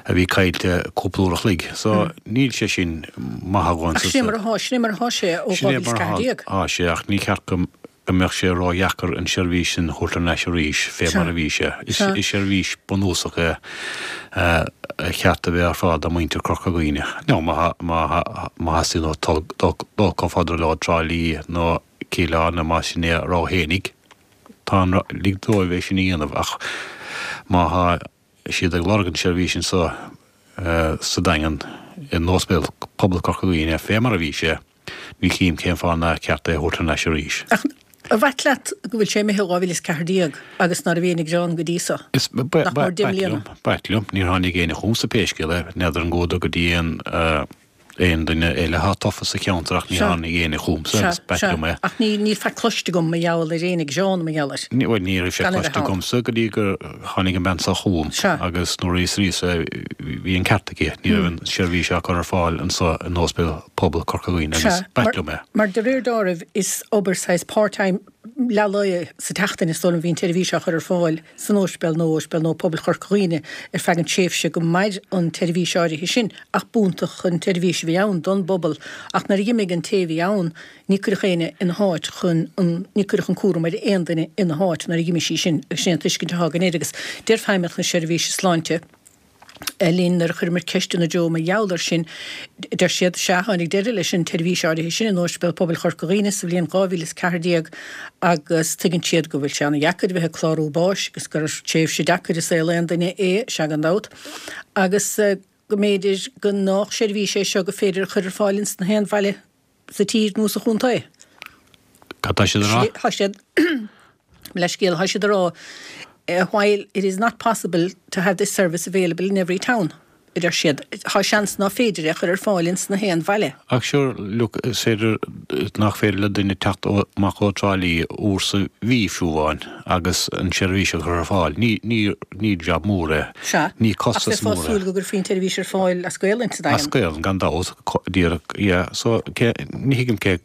a bhí caillte cúpla uair a chloig. So, níl sé sin maith a dhóthain. Ach sin é mar atá, sin é mar atá sé ó 2014. Sin é mar atá sé, ach ní ceart go go mbeadh sé ródheacair an seirbhís sin a thabhairt thar n-ais arís fé mar a bhí sé. Is seirbhís bunúsach é a cheart a bheith ar fáil do mhuintir Chorca Dhuibhne. Nó má theastaíonn uathu dul chomh fada leo Trá Lí nó Cill Airne más sin é a rogha fhéinig, tá an, lig dóibh é sin a dhéanamh ach má tá siad ag lorg an seirbhís anso sa Daingean in Ospidéal Pobail Chorca Dhuibhne fé mar a bhí sé, Ní chím cén fáth nár cheart é a thabhairt thar n-ais arís. Ach ar mhaith leat go bhfuil sé imithe ó 2014 agus ná raibh aon ghearán go dtí so? Nach mór 10 mbliana? B'ait liom. Níor tháinig éinne chugamsa pé scéal é. N'fheadar an gcuadar go dtí aon aon duine eile atá tofa sa cheantar ach ní tháinig éinne chugamsa agus b'ait liom é. Ach níl faic cloiste agam mar gheall ar éinne ag gearán mar gheall air. Bhuel ní raibh sé cloiste agamsa go dtí gur tháinig an bean seo chugam agus nuair a fhiosraíos é bhí an ceart aici. Ní raibh an seirbhís á cur ar fáil anso in Ospidéal Pobail Chorca Dhuibhne agus b'ait liom é. Mar de réir dealraimh is obair saghas part-time. Leath lae sa tseachtain is dóigh liom a bhí an tseirbhís á chur ar fáil san Ospidéal nó Ospidéal Nua Pobail Chorca Dhuibhne ar feadh an tréimhse go mair an tseirbhís áirithe sin ach b'iontach an tseirbhís a bhí ann don bpobal ach nuair a dh'imigh an té a bhí ann ní cuireadh éinne ina háit chun an ní cuireadh an cúram ar aon duine ina háit nuair a dh'imigh sí sin agus sin é an tuiscint atá againn air agus deir Feidhmeannacht na Seirbhíse Sláinte linn nuair a chuireamar ceist ina dtreo mar gheall air sin. Deir siad, sea, tháinig deireadh leis an tseirbhís áirithe sin in Ospidéal Pobail Chorca Dhuibhne sa bhliain 2014 agus tuigeann siad go bhfuil sé ana-dheacair a bheith ag clárú báis agus gur tréimhse deacair i saol aon duine é, sea gan dabht, agus go mb'fhéidir go nách seirbhís é seo gur féidir a chur ar fáil ins na haon bhaile sa tír nó sa chontae. Cad tá siad a rá? Tá siad, mo leithscéal, tá siad a rá while it is not possible to have this service available in every town, a deir siad, tá seans ná féidir é a chur ar fáil ins na haon bhaile. Ach sure, look, is féidir, nach féidir le duine teacht amach ó Trá Lí uair sa mhí fiú amháin agus an seirbhís a chur ar fáil. Ní, ní, ní jab mór é. Sea, Ní ach costas bheifeá mór ag é. súil go gcuirfí an tseirbhís ar fáil as Gaolainn sa As Daingean. Gaolainn, gan dabht, díreach, yeah. So, cé, ní thuigim cé,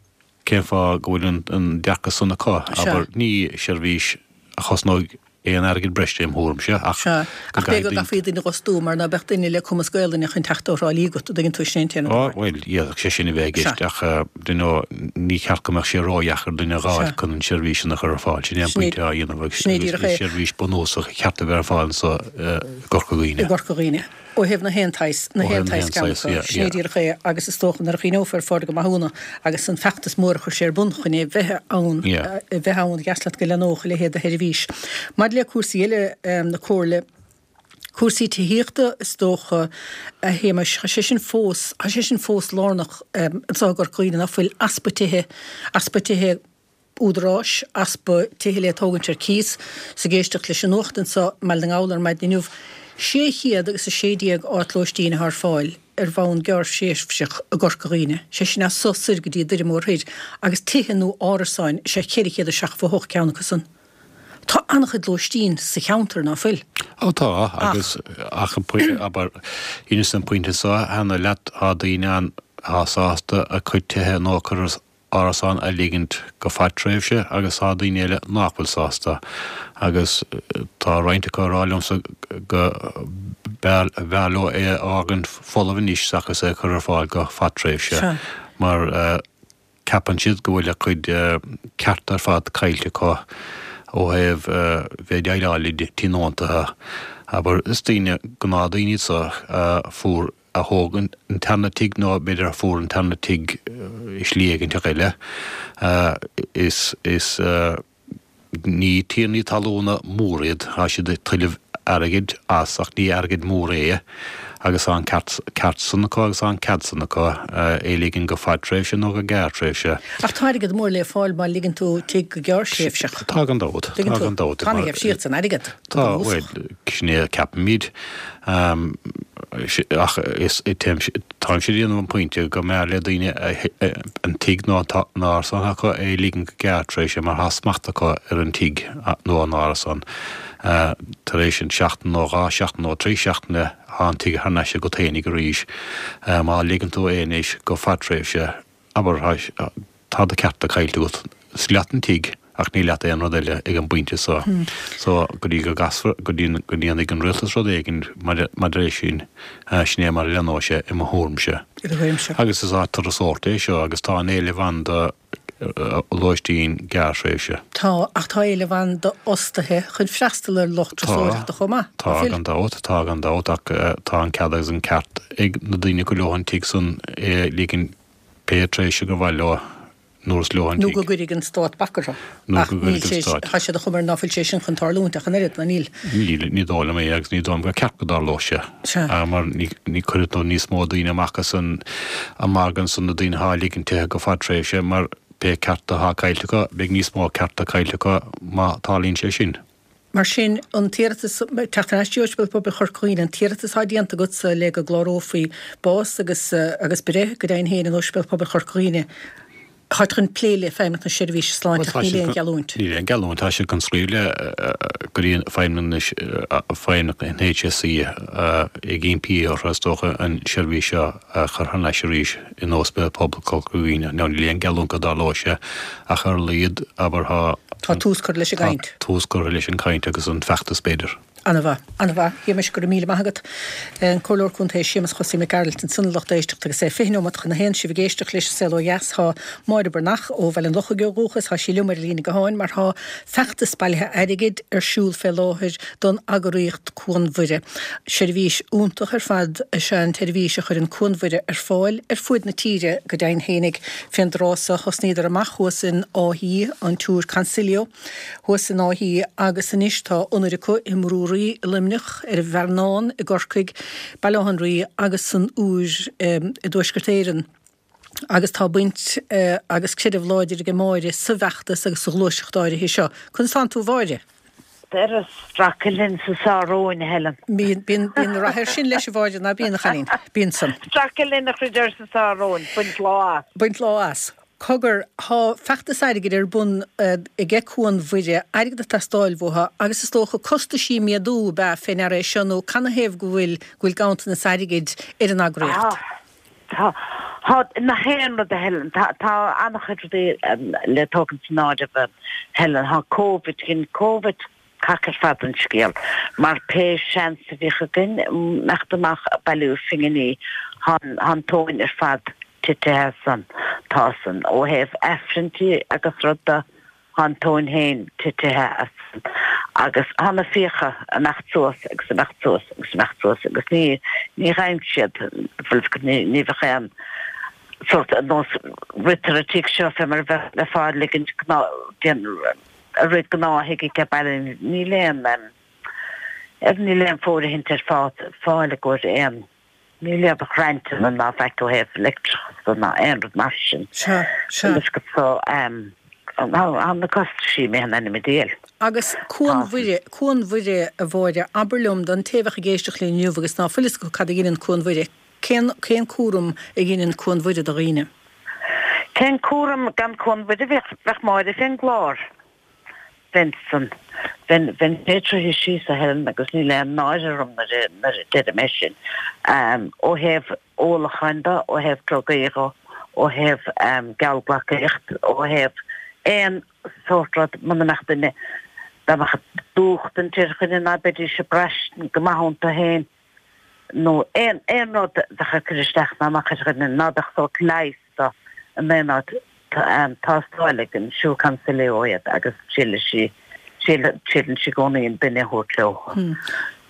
cén fáth go bhfuil an, an dearcadh san acu, Sea. abair, ní seirbhís a chosnóidh aon airgead breise im thuairimse, ach Sea, go ach b'fhéidir gcaithfidh go daoine. gcaithfí duine a dh'fhostú mar ná beadh duine le cumas Gaolainne chun teacht ó Thrá Lí agat, an dtuigeann tú, sin é an t-aon rud Ó, amháin. bhuel, d'fhéadfadh sé sin a bheith i Sea. gceist, ach, you know, ní ceart go mbeadh sé ródheacair duine a dh'fháil Sea. chun an tseirbhís sin a chur ar fáil. Sin é an Sin é, pointe á dhéanamh agus, sin é agus díreach is é. seirbhís bunúsach a cheart a bheith ar fáil anso i gCorca Dhuibhne. I gCorca Dhuibhne. Ó thaobh na haon tsaghas, na Ó haon thaobh na tsaghas haon ceann tsaghas, acu. yeah, Sin é yeah. díreach é agus is dócha nuair a chuimhneofar ar Phádraig Ó Mathúna agus an feachtas mór a chuir sé ar bun chun é bheith ann, Yeah. a bheith ann, dheas leat go leathnódh a leithéid de sheirbhís. Maidir le cúrsaí eile na Comhairle, cúrsaí tithíochta is dócha, a Shéamais, tá sé sin fós, tá sé sin fós lárnach anseo i gCorca Dhuibhne, ná fuil easpa tithe, easpa tithe, údaráis, easpa tithe le tógaint ar cíos. 'S ag éisteacht leis an nuacht anseo i mBaile na nGall ar maidin inniu, 616 áit lóistín atá ar fáil ar bhonn gearrthréimhseach i gCorca Dhuibhne, sé sin as so soir go dtí Doire Mór Thoir, agus tithe nó árasáin is ea 478 ceann acu san. Tá an-chuid lóistín sa cheantar, ná fuil? Ó tá, agus ach abair, ins an pointe seo cheana leat, tá daoine ann atá sásta a cuid tithe nó a cuid árasán a ligint go fadtréimhse agus tá daoine eile nach bhfuil sásta agus tá roinnt acu ag rá liomsa go mb'fhearr leo é a fhágaint folamh anois seachas é a chur ar fáil go fadtréimhse mar ceapann siad go bhfuil a gcuid cearta ar fad caillte acu ó thaobh bheith ag déileáil le tionóntaithe. Abair, is daoine, gnáthdhaoine iad so a fuair a thóg an tarna tigh nó b'fhéidir a fuair an tarna tigh i slí éiginteach eile. Is, is, ní tiarnaí talúna mór iad, tá siad ag tuilleamh airgid as ach ní airgead mór é agus tá an ceart, ceart san acu agus tá an cead san acu é a ligean go fadtréimhse nó go gearrtréimhse. Ach tá airgead mór le fáil má ligeann tú tigh go gearrthréimhseach. Tá gan dabht, tá gan dabht. Tá ana-gheimhsíocht san airgead. Tá, bhuel, sin é a ceapaimid. Ach táimse ag déanamh an pointe go mb'fhearr le daoine an tigh nó an árasán acu é a ligean go gearrtréimhse mar tá smacht acu ar an tigh nó an árasán. Tar éis an seachtain nó 2 seachtain nó 3 seachtaine tá an tigh thar n-ais agat fhéinig arís. Má ligeann tú é anois go fadtréimhse, abair, tá do chearta caillte agat. Is leat an tigh ach ní leat aon rud eile ag an bpointe so. So, go dtí go gcasfar, go dtí go ndéanfaidh an rialtas rud éigin maidir leis sin, sin é mar a leathnóidh sé i mo thuairimse. I do thuairimse. Agus is áit turasóireachta é seo agus tá an-éileamh ann do lóistín gearrthréimhse. Tá, ach tá éileamh ann d'fhostaithe chun freastal ar lucht turasóireachta chomh maith, Tá, tá gan dabht, tá gan dabht ach tá an cead agus an ceart ag na daoine gur leo an tigh san é a ligean pé tréimhse gur mhaith leo nuair is leo an Nó tigh. go gcuirfidh an Stát bac orthu. Nó Ach go níl gcuirfidh sé, an Stát. tá sé de chuma air ná fuil sé sin chun tarlúint ach an oiread, ná níl? Níl, ní dóigh liom é agus ní dóigh liom gur ceart go dtarlódh sé. Sea. Mar ní, ní cuirfidh tú níos mó daoine amach as an, an margadh ansan, na daoine atá ag ligean tithe go fadtréimhse mar pé cearta atá caillte acu, beidh níos mó cearta caillte acu má tarlaíonn sé sin. Mar sin, an t-iarratas, teacht ar ais go dtí Ospidéal Pobail Chorca Dhuibhne, an t-iarratas atá déanta agatsa le go gclárófaí bás agus agus breith go deimhin féin in Ospidéal Pobail Chorca Dhuibhne. Táid chun plé le Feidhmeannacht na Seirbhíse Sláinte ach níl aon gheallúint. Níl aon gheallúint. Tá siad chun scríobh le go dtí Feidhmeannacht an HSE ag impí orthu is dócha an seirbhís seo a chur thar n-ais arís in Ospidéal Pobail Chorca Dhuibhne. Now níl aon gheallúint go dtarlóidh sé ach ar a laghad abair tá Tá tús curtha leis an gcaint. Tá tús curtha leis an gcaint agus an feachtas b'fhéidir. Ana-mhaith. Ana-mhaith. A Shéamais, go raibh míle maith agat. An Comhairleoir Contae Séamus Chosaí Mac Gearailt ansan a lucht éisteachta agus é 20 neomat chun a haon sibh ag éisteacht leis an Saol Ó Dheas. Tá Máire Breathnach ó Bhaile an Lochaigh ó dhúchas, tá sí liom ar an líne gutháin mar tá feachtas bailithe airgid ar siúl fé láthair don eagraíocht Cuan Mhuire. Seirbhís iontach ar fad is ea an tseirbhís a chuireann Cuan Mhuire ar fáil ar fuaid na tíre go deimhin fhéinig. Fén dtráth so thosnaíodar amach thuas in Áth Í, an tSiúr Consilio, thuas in Áth Í agus anois tá ionaid acu i mBrú Rí i Luimneach, ar an bhFearnán i gCorcaigh, Baile Átha an Rí agus san Iúr i dTuaisceart Éireann. Agus tá baint agus creideamh láidir aige Máire sa bhfeachtas agus sa ghluaiseacht áirithe seo. Conas tánn tú a Mháire? Ar streachailt linn sa Sáróin, a Helen. Bíonn, bíonn, bíonn rath air sin leis a Mháire, ná bíonn, a chailín? Bíonn san. Streachailt linn a chreideamh sa Sáróin, baint lá as. Baint lá as. Cogar, tá feachtas airgid ar bun aige Cuan Mhuire, airgead ag teastáil uathu, agus is dócha costaisí ag méadú ab ea fé ndeara é seo nó canathaobh go bhfuil, go bhfuil ganntanas airgid ar an eagraíocht? Tá, tá, nach aon rud a Helen, tá, tá an-chuid rudaí le tógaint san áireamh a Helen, tá Covid, dhein Covid cac ar fad den scéal, mar pé seans a bhíodh againn imeacht amach ag bailiú phinginí, tá an tóin ar fad titithe as san, tá san, ó thaobh Aifrinntí agus rud de, tá an tóin féin titithe as san agus tá na fiacha ag imeacht suas agus ag imeacht suas agus ag imeacht suas agus ní, ní gheibheann siad, bhuel, ní, ní bheadh aon sórt, ar nós ritear an tigh seo fé mar a bheadh le fáil ligint gnáth, déan, a rith gnáth ag baile níl aon ar níl aon fóirithint ar fáil i gcomhair aon níl aon ghrantanna ná faic ó thaobh leictreachas de ná aon rud mar sin. Sea, sea. Agus go so tá na costaisí imithe in ainm an diabhail. Agus Cuan Mhuire, Cuan Mhuire a Mháire, abair liom don té a bheadh ag éisteacht linn inniu agus ná fuil fhios acu cad a dheineann Cuan Mhuire, cén, cén cúram a dheineann Cuan Mhuire do dhaoine? Cén cúram gan Cuan Mhuire bheadh, bheadh Máire fén gclár. Bheinn san, bheinn, bheinn sé troithe síos a Helen agus níl aon náire orm nuair a, nuair a deirim é sin. Ó thaobh ólacháin de, ó thaobh drugaí de, ó thaobh geallghlacaíocht, ó thaobh aon sórt rud, muna mbeadh duine, dá mbeadh dúch den tír dhuine ná beidís ag braistint go maith iontu féin. nó aon aon rud a bheadh ag cur isteach ná amach ar dhuine ná beadh sórt leighis do in aon áit tástáil ag an Siúr Consilio iad agus triaileann sí triaileann sí i gcónaí an duine a thabhairt leo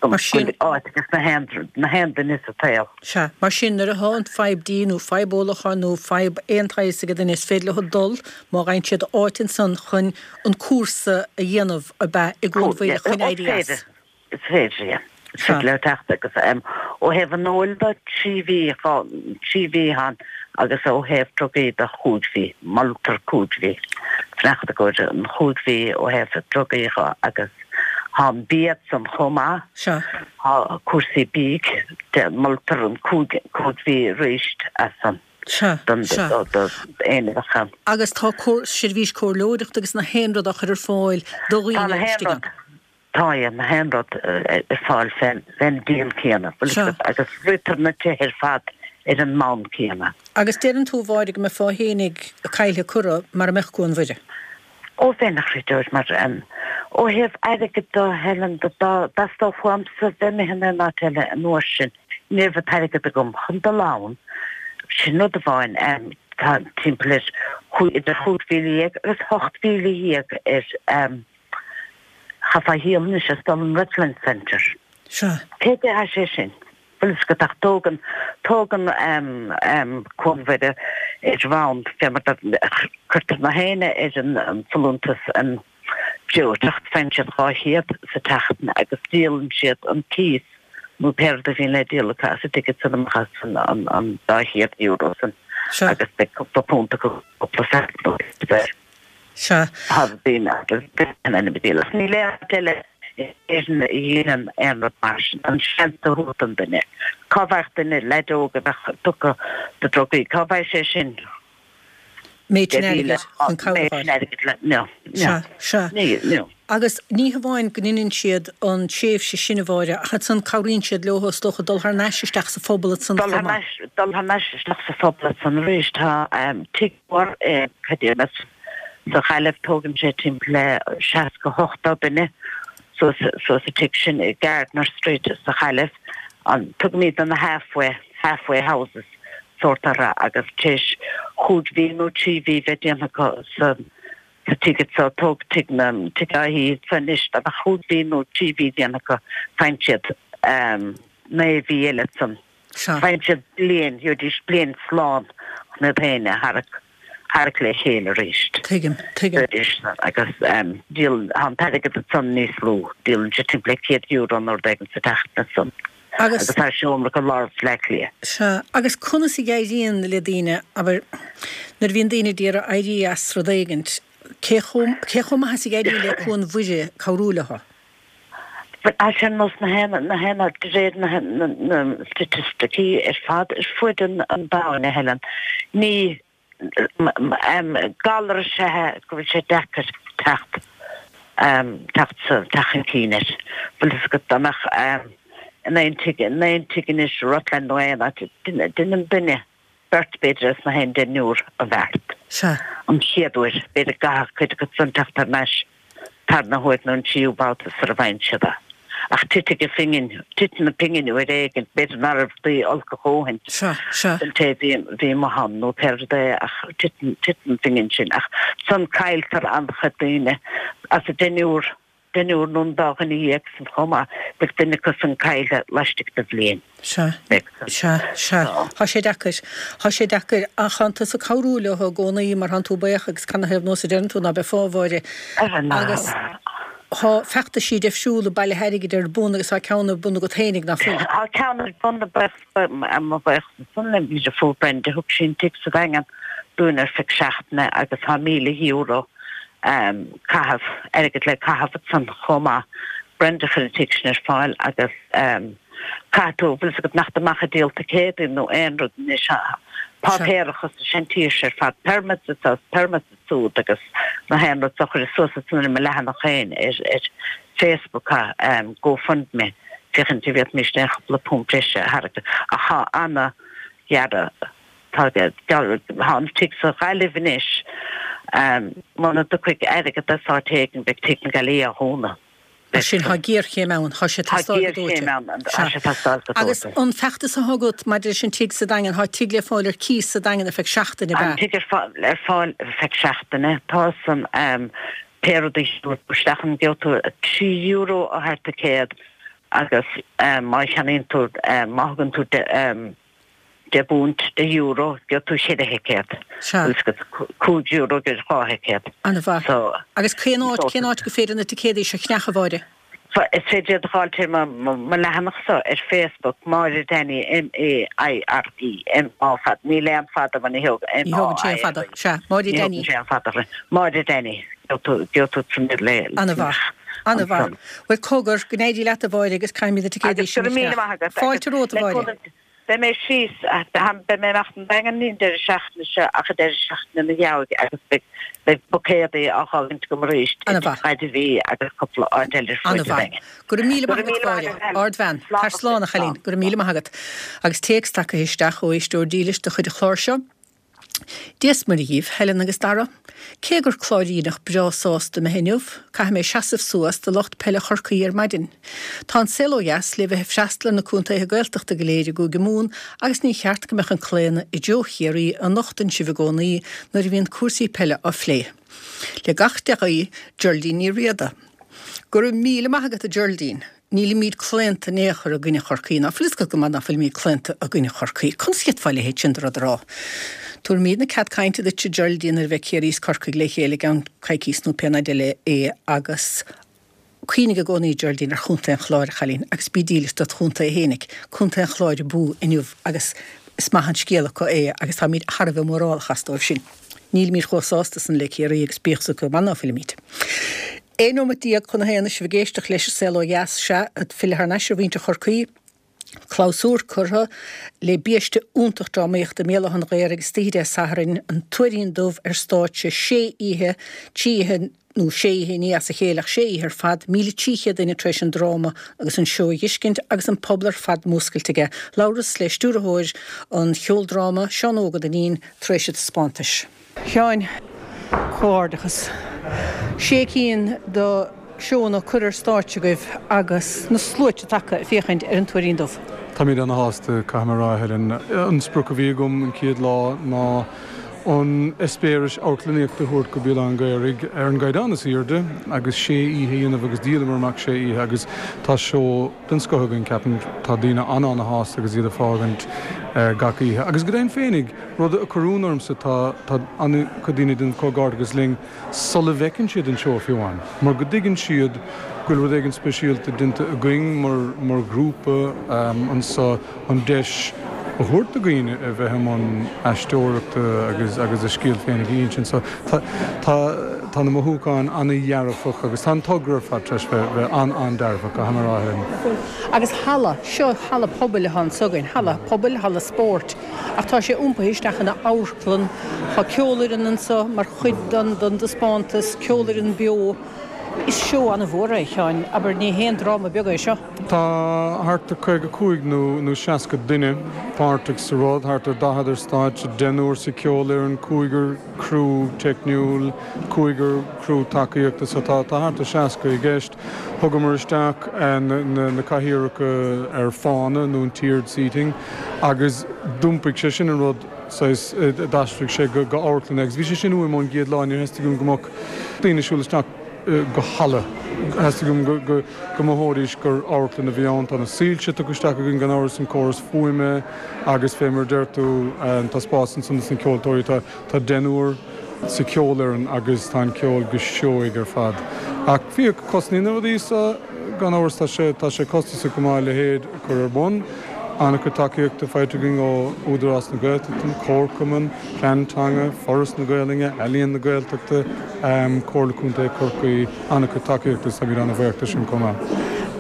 Mar sin áit agus na haon na haon duine sa tsaol. Sea, mar sin nuair atá an fadhb dí nó fadhb ólacháin nó fadhb aon tsaghas ag duine is féidir leo dul má fhaigheann siad áit ansan chun an cúrsa a dhéanamh ab ea i gCuan Mhuire chun éirí as. Is féidir, yeah. Is féidir leo teacht agus ó thaobh an óil de, 3 mhí, 3 mhí ann agus ó thaobh drugaí de, chúig mhí. Moltar cúig mhí. Fanacht i gcomhair an chúig mhí ó thaobh drugaí dhe agus tá an bia ansan chomh maith. Sea. Tá cúrsaí bídh, moltar an cúig, cúig mhí arís as san. Sea, don, sea. do, do éinne a bheadh ann. Agus tá cór, seirbhís comhairleoireachta agus na haon rud á chur ar fáil do Tá dhaoine na haon istigh rud. ann. Tá na haon rud ar fáil fén díon céanna, bhfuil Sea. fhios agat, agus ritear na tithe ar fad ar an mbonn céanna. Agus deireann tú, a Mháire, go mbeifeá fhéinig caillthe curtha mara mbeadh Cuan Mhuire. Ó bheinn, a chreideoir, mar ó thaobh airgid de, Helen, dá dteastódh uaimsa bheith imithe in aon áit eile an uair sin, ní raibh an t-airgead agam chun dul ann, sin rud amháin, tá timpeall ar idir 15,000 agus 18,000 ar Chaithfeá a dhíol anois as dul an Rutland Centre. Sea. Cé déarfadh sé sin? Bhfuil fhios agat ach tógann, tógann Cuan Mhuire ar bhonn fé mar cuirtear na héinne ar an folúntas an breoiteacht, faigheann siad 200 sa tseachtain agus díolann siad an cíos nó pé rud a bhíonn le díol acu as a dtigid san amach as an €200 san Sea. agus beidh cúpla punt acu cúpla cent nó pé. Sea. Tá daoine agus in ainm a díol. Ach níl aon áit eile in Éirinn a dhéanann aon rud mar sin, an seans a thabhairt don duine. Cá bhfaigheadh duine, leaid óg a bheadh tugtha do drugaí, cá bhfaigheadh sé sin? Méid sin airgid chun cabhair a fháil. No, no. Sea, sea. Agus ní hamháin go ndeineann siad an tréimhse sin a Mháire, ach ansan cabhraíonn siad leo is dócha dul thar n-ais isteach sa phobal ansan chomh maith. Dul thar n-ais isteach sa phobal ansan arís. Tá tigh mór i, cad é, sa Ghaillimh, tógann sé timpeall le 60, 80 duine suas sa tigh sin i Gardiner Street sa Ghaillimh. Tugaimid na halfway, halfway houses. sórt orthu agus tar éis chúig mhí nó trí mhí bheith déanta acu sa sa tigh so, tóg tigh na, tigh Fháithí so anois, dá mbeadh chúig mhí nó trí mhí déanta acu, faigheann siad naoi mhí eile ansan. Faigheann siad bliain, gheobhaidís bliain slán chun iad féin a tharrac. tharrac le chéile arís. Tuigim, tuigim. Arís agus díol, tá an t-airgead ansan níos lú, díolann siad timpeall le €100 nó rud éigin sa tseachtain ansan. Agus. Agus tá seomra acu i lár Bhaile Átha Cliath. Sea, agus conas a éiríonn le daoine, abair, nuair a bhíonn daoine d'iarraidh éirí as rud éigint, cé chomh, cé chomh maith is a éiríonn le Cuan Mhuire cabhrú leo? Bhuel, ar nós na haon, na haon áit, de réir na, na, na staitisticí ar fad ar fuaid an, an domhain, a Helen, ní, galar is ea é go bhfuil sé deacair teacht, teacht sa, teacht chun cinn air. Bhfuil fhios agat, dá mbeadh in aon tigh, in aon tigh anois i Rutland nó aon áit, deineann duine, beirt b'fhéidir as na haon deichniúr an bheart. Sea. An chéad uair, b'fhéidir go gcaithfeadh cuid acu san teacht thar n-ais tarna huair nó an tríú babhta sar a bhfaigheann siad é. Ach titfidh an phingin, titeann an phingin uair éigin, b'fhéidir ná raibh rudaí olc a dhóthain Sea, sea. don té a bhí, bhí amuigh ann nó pé rud é ach titeann, titeann an phingin sin. Ach san cailltear an-chuid daoine as an deichniúr deichniúr nó an dá dhuine dhéag san chomh maith, beidh duine acu san caillte laistigh de bhliain. Sea, sea, sea. Tá sé deacair. Tá sé deacair. Ach tánn tusa ag cabhrú leo i gcónaí mar tánn tú baoch agus canathaobh nós a deireann tú ná beifeá, a Mháire. Agus tá feachtaisí deifriúla bailithe airgid ar bun agus tá ceann ar bun agat fhéinig, ná fuil? Tá ceann ar bun mo bhuíochas san le mo dheirfiúr Brenda, thug sí an tigh sa Daingean dúinn ar feadh seachtaine agus tá €1,000 caitheamh, airgead le caitheamh ansan chomh maith. Brenda chuir an tigh sin ar fáil agus caithfidh tú, bhfuil fhios agat nach amach ag díol ticéadaí nó aon rud anois, páipéarachas is an tír seo ar fad, permits anso is permits ansúd agus na haon rud so chuireas suas ansan ar mo leathanach féin ar ar Facebook GoFundMe féachaint an bhféadfaimis aon chúpla punt breise a tharraingt ach tá ana ghearradh Tá tá an tigh sa Ghaillimh anois. Muna dtiocfaidh airgead as áit éigin beidh Tigh na Gaillimhe á dhúnadh. Mar sin, tá géarchéim ann, tá sé ag teastáil go dóite. Tá géarchéim ann, tá sé ag teastáil go dóite. Agus an feachtas atá agat maidir leis an tigh sa Daingean, tá tigh le fáil ar cíos sa Daingean ar feadh seachtaine, ab ea? An tigh ar fáil ar feadh seachtaine. Tá san pé rud a gheobhaidh tú isteach ann, gheobhaidh tú €3 ó thar ticéad agus má cheannaíonn tú, má thugann tú £10, €10, gheobhaidh tú ceithre thicéad. Sea. Bhfuil fhios agat, €5 gheobhaidh dhá thicéad. An-mhaith. So. Agus cén áit, cén áit gur féidir na ticéadaí seo a cheannach, a Mháire? So, is féidir iad a dh'fháilt ar mo, mo, mo leathanach-sa ar Facebook, Máire Danny, M-A-I-R-E, M-á fada, níl aon fada mar ní thóg, Ní thógann sé aon fada, sea. Máire Ní Danny. thógann sé aon fada. Máire Danny. Gheobhaidh tú, gheobhaidh tú san le, An-mhaith. An-mhaith. Bhuel, cogar, go n-éirí leat, a Mháire, agus caithfimid na ticéadaí Agus go sin a raibh míle cheannach. maith agat. Fáilte Agus romhat, a le Mháire. cúnamh Beidh mé síos, beidh mé amach an Daingean ní an deireadh seachtaine seo ach an deireadh seachtaine ina dhiaidh agus beidh beidh buicéadaí á dh'fhágaint agam arís i An-mhaith. Gaillimh agus cúpla áit eile ar fuaid an An-mhaith. Daingin. Go raibh míle Go maith raibh agat, míle maith Mháire. agat, Helen. Ardbhean. Slán Tar slán, a chailín. Slán. Go raibh míle maith agat. Agus téacs tagtha isteach ó éisteoir dílis de chuid an chláir seo. Dia 's Muire dhíbh, Helen agus Dara. Cé gur Cláiríneach breá sásta mé inniu, caithfidh mé seasamh suas do lucht peile Chorcaí ar maidin. Tá an saol ó dheas le bheith ag freastal ar na contaetha Gaeltachta go léir i gCúige Mumhan agus ní cheart go mbeadh an claonadh i dtreo Chiarraí a nochtann sibh i gcónaí nuair a bhíonn cúrsaí peile á phlé. Le gach dea-ghuí, Geraldine Ní Riada. Go raibh míle maith agat a Geraldine. Nílimíd claonta in aon chor i gcoinne Chorcaí, ná fuil fhios agat go maith ná fuilimíd claonta i gcoinne Chorcaí. Conas a d'fhéadfá a leithéid sin de rud a rá? Tabharfaimídne cead cainte duit a Geraldine nuair a bheidh Ciarraí is Corcaigh le chéile i gceann coicíos nó pé namhaid eile é agus cuimhnigh i gcónaí Geraldine ar Chontae an Chláir, a chailín, agus bí dílis dot chontae fhéinig. Contae an Chláir abú inniu agus is maith an scéal acu é agus táimíd thar a bheith mórálach as dóibh sin. Nílimíd chomh sásta san le Ciarraí agus bíodh 's acu go maith ná fuilimíd. 11 nóimeat chun a haon is sibh ag éisteacht leis An Saol Ó Dheas, sea, ag filleadh thar n-ais ar mhuintir Chorcaí. Clabhsúr curtha le biaiste iontach drámaíochta i mBéal Átha an Ghaorthaidh istoíche Dé Sathairn, An Tuairín Dubh ar stáitse sé oíche, trí oíche nó sé oíche, ní as a chéile ach sé oíche ar fad, 1,300 duine tar éis an dráma agus an seó a dh'fheiscint agus an pobal ar fad múscailte aige. Labhras le stiúrthóir an cheoldráma, Seán Óg Ó Duinnín, tar éis an taispeántais. Sheáin, comhghairdeachas. Sé cinn de seónna curtha ar stáitse agaibh agus na sluaite tagtha ag féachaint ar an Tuairín Dubh. Táimid ana-shásta, caithfidh mé a rá, a Helen. An sprioc a bhí agam an chéad lá ná an eispéireas amharclannaíochta a thabhairt go Béal Átha an Ghaorthaidh ar an gcaighdeán is airde agus sé oíche a dhéanamh agus dhíolamar amach sé oíche agus tá seó den scoth againn, ceapaim. Tá daoine an-ana-shásta agus iad ag fágaint gach oíche. Agus go deimhin féinig, rud a chuir ionadh ormsa, tá tá an-chuid daoine ag déanamh comhghairdeachas linn sula bhfeiceann siad an seó fiú amháin, mar go dtuigeann siad go bhfuil rud éigin speisialta déanta againn mar mar ghrúpa anso, an deis a thabhairt do dhaoine a bheith i mbun aisteoireachta agus agus a scéal féinig a insint. So tá tá tá na mothúcháin an-dhearfach agus tá an togra ar fad tar éis bheith bheith an-an-dearfach, caithfidh mé a rá, Helen. Agus halla, seo halla pobail atá anso againn, halla pobail, halla spóirt, ach tá sé iompaithe isteach ina amharclann. Tá ceolfhoireann anso mar chuid den den dtaispeántas, ceolfhoireann beo. Is seó an-mhór é, a Sheáin, abair, ní haon dráma beag é seo. Tá thart ar 55 nó nó 60 duine páirteach sa rud, thart ar 40 ar stáitse, deichniúr sa cheolfhoireann, cúigear criú teicniúil, cúigear criú tacaíochta, so tá tá thart ar 60 i gceist. Thugamar isteach na na cathaoireacha ar fána nó an tiered seating agus d'iompaigh sé sin an rud saghas, d'aistrigh sé go go amharclann é agus bhí sé sin uaim ón gcéad lá, níor theastaigh uaim go mbeadh daoine ag siúl isteach go halla. Theastaigh uaim go go go mothóidís gur amharclann a bhí ann. Tá na soilse tugtha isteach againn gan amhras, an córas fuaime agus fé mar a deir tú, tá spás ansan dos na ceoltóirí. Tá tá deichniúr sa cheolfhoireann agus tá an ceol go seoigh ar fad. Ach féach, cosnaíonn na rudaí so, gan amhras tá sé tá sé costasach go maith a leithéid a chur ar bun. An-chuid tacaíochta faighte againn ó Údarás na Gaeltachta, an Comharchumann, Plean Teanga, Foras na Gaelainne, Ealaíon na Gaeltachta, Comhairle Contae Chorcaí, an-chuid tacaíochta agus táimid an-bhuíoch de sin chomh maith.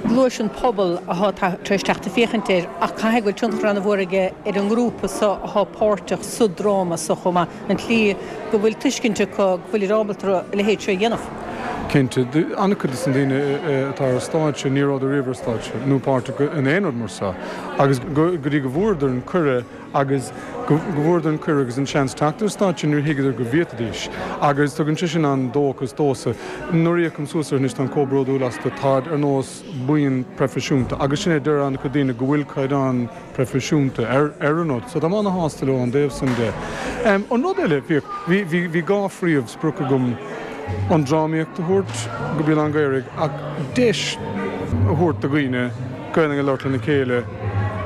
Luais an pobal atá tar éis teacht ag féachaint air ach caithfidh go bhfuil tionchar an-mhór aige ar an ngrúpa so atá páirteach sa dráma so chomh maith, an tslí go bhfuil tuiscint acu go bhfuilid ábalta a leithéid seo a dhéanamh. Cinnte. An-chuid de na daoine atá ar stáitse, ní rabhadar riamh ar stáitse nó páirteach in aon rud mar seo agus go dtí go bhfuaireadar an cuireadh agus go bhfuaireadar an cuireadh agus an seans teacht ar stáitse níor thuigeadar go bhféadfaidís agus tugann sé sin an-dóchas domhsa. Nuair a fhéachaim suas orthu anois táim chomh bródúil astu, táid ar nós buíon proifisiúnta agus sin é, deir an-chuid daoine go bhfuil caighdeán proifisiúnta ar ar an rud so táim ana-shásta leo ón dtaobh san de. An rud eile, féach, bhí bhí bhí dhá phríomh sprioc agam, an drámaíocht a thabhairt go Béal Átha an Ghaorthaidh ach deis a thabhairt do dhaoine Gaelainn a labhairt lena chéile,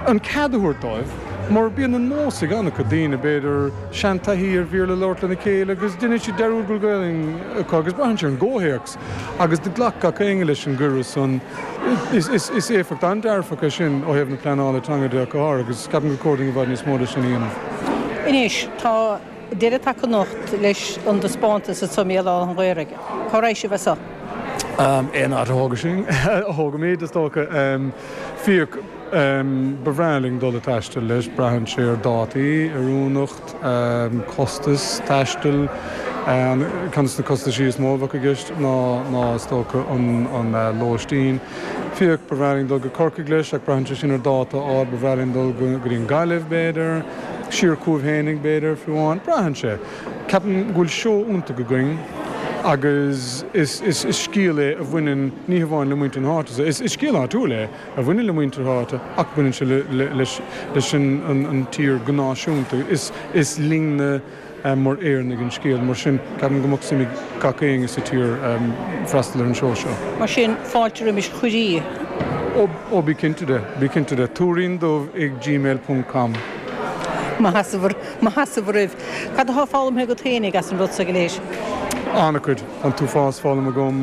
an cead a thabhairt dóibh, mar bíonn an nós ag an-chuid daoine, b'fhéidir, seantaithí ar Bhéarla a labhairt lena chéile agus déanann siad dearúd go bhfuil Gaelainn acu agus braitheann sé ar an gcomhthéacs agus do ghlac gach éinne leis an gcuireadh san. Is éifeacht an-dearfach é sin ó thaobh na pleanála teanga de ach go háirithe agus ceapaim gur chóir dúinn i bhfad níos mó de sin a dhéanamh. Anois, tá deireadh tagtha anocht leis an dtaispeántas anso i mBéal Átha an Ghaorthaidh. Cá raghaidh sibh as so? Aon áit a thógfaidh sinn, a thógaimid, is dócha. Féach, ba bhreá linn dul ag taisteal leis. Braitheann sé ar dátaí, oiriúnacht, costas taistil. Ceann de na costaisí is mó a bheadh i gceist ná, is dócha, an lóistín. Féach, ba bhreá linn dul go Corcaigh leis ach braitheann sé sin ar dáta a fháil. Ba bhreá linn dul go dtí an Ghaillimh, b'fhéidir. Siar chugaibh fhéinig, b'fhéidir, fiú amháin. Braitheann sé. Ceapaim go bhfuil seó iontach againn agus is scéal é a bhaineann ní hamháin le muintir na háite, is scéal áitiúil é a bhaineann le muintir na háite ach baineann sé leis an tír go náisiúnta. Is linne mar Éireannaigh an scéal, mar sin ceapaim go mbeadh suim ag gach éinne sa tír freastal ar an seó seo. Mar sin, fáilte roimis chuirí. Ó bí cinnte de, bí cinnte de. Tuairín Dubh ag gmail ponc com. Mo sheasamh roimh. Cad atá foghlamtha agat féinig as an rud so go léir? An-chuid. An t-uafás foghlamtha agam.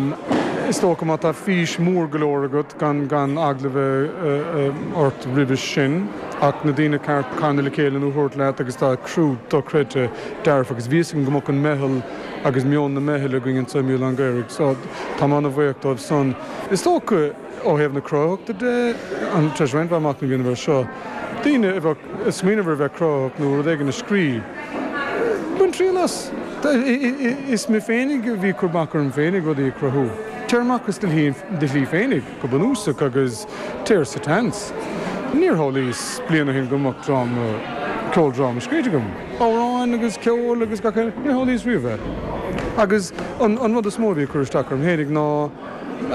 Is dócha má tá fís mór go leor agat gan gan eagla bheith ort roimhe sin ach na daoine ceart a charnadh le chéile nó a thabhairt leat agus tá criú dochreidte dearfa agus bhí fhios agam go mbeadh an meitheal agus meon na meithle againn anseo i mBéal Átha an Ghaorthaidh so tá mé ana-bhuíoch dóibh san. Is dócha ó thaobh na cruthaitheachta de, tar éis roinnt mhaith machnaimh a dhéanamh air seo, daoine a bheadh ag smaoineamh ar bheith cruthaitheach nó rud éigin a scríobh, bain triail as. Is mé féinig a bhí ag cur bac orm féinig rudaí a chruthú. Téir amach as do shlí féinig, go bunúsach, agus téir sa tseans. Níor shamhlaíos bliain ó shin go mbeadh dráma, ceoldráma scríte agam. Amhráin agus ceol agus gach eile, níor shamhlaíos riamh é. Agus an rud is mó a bhí ag cur isteach orm féinig ná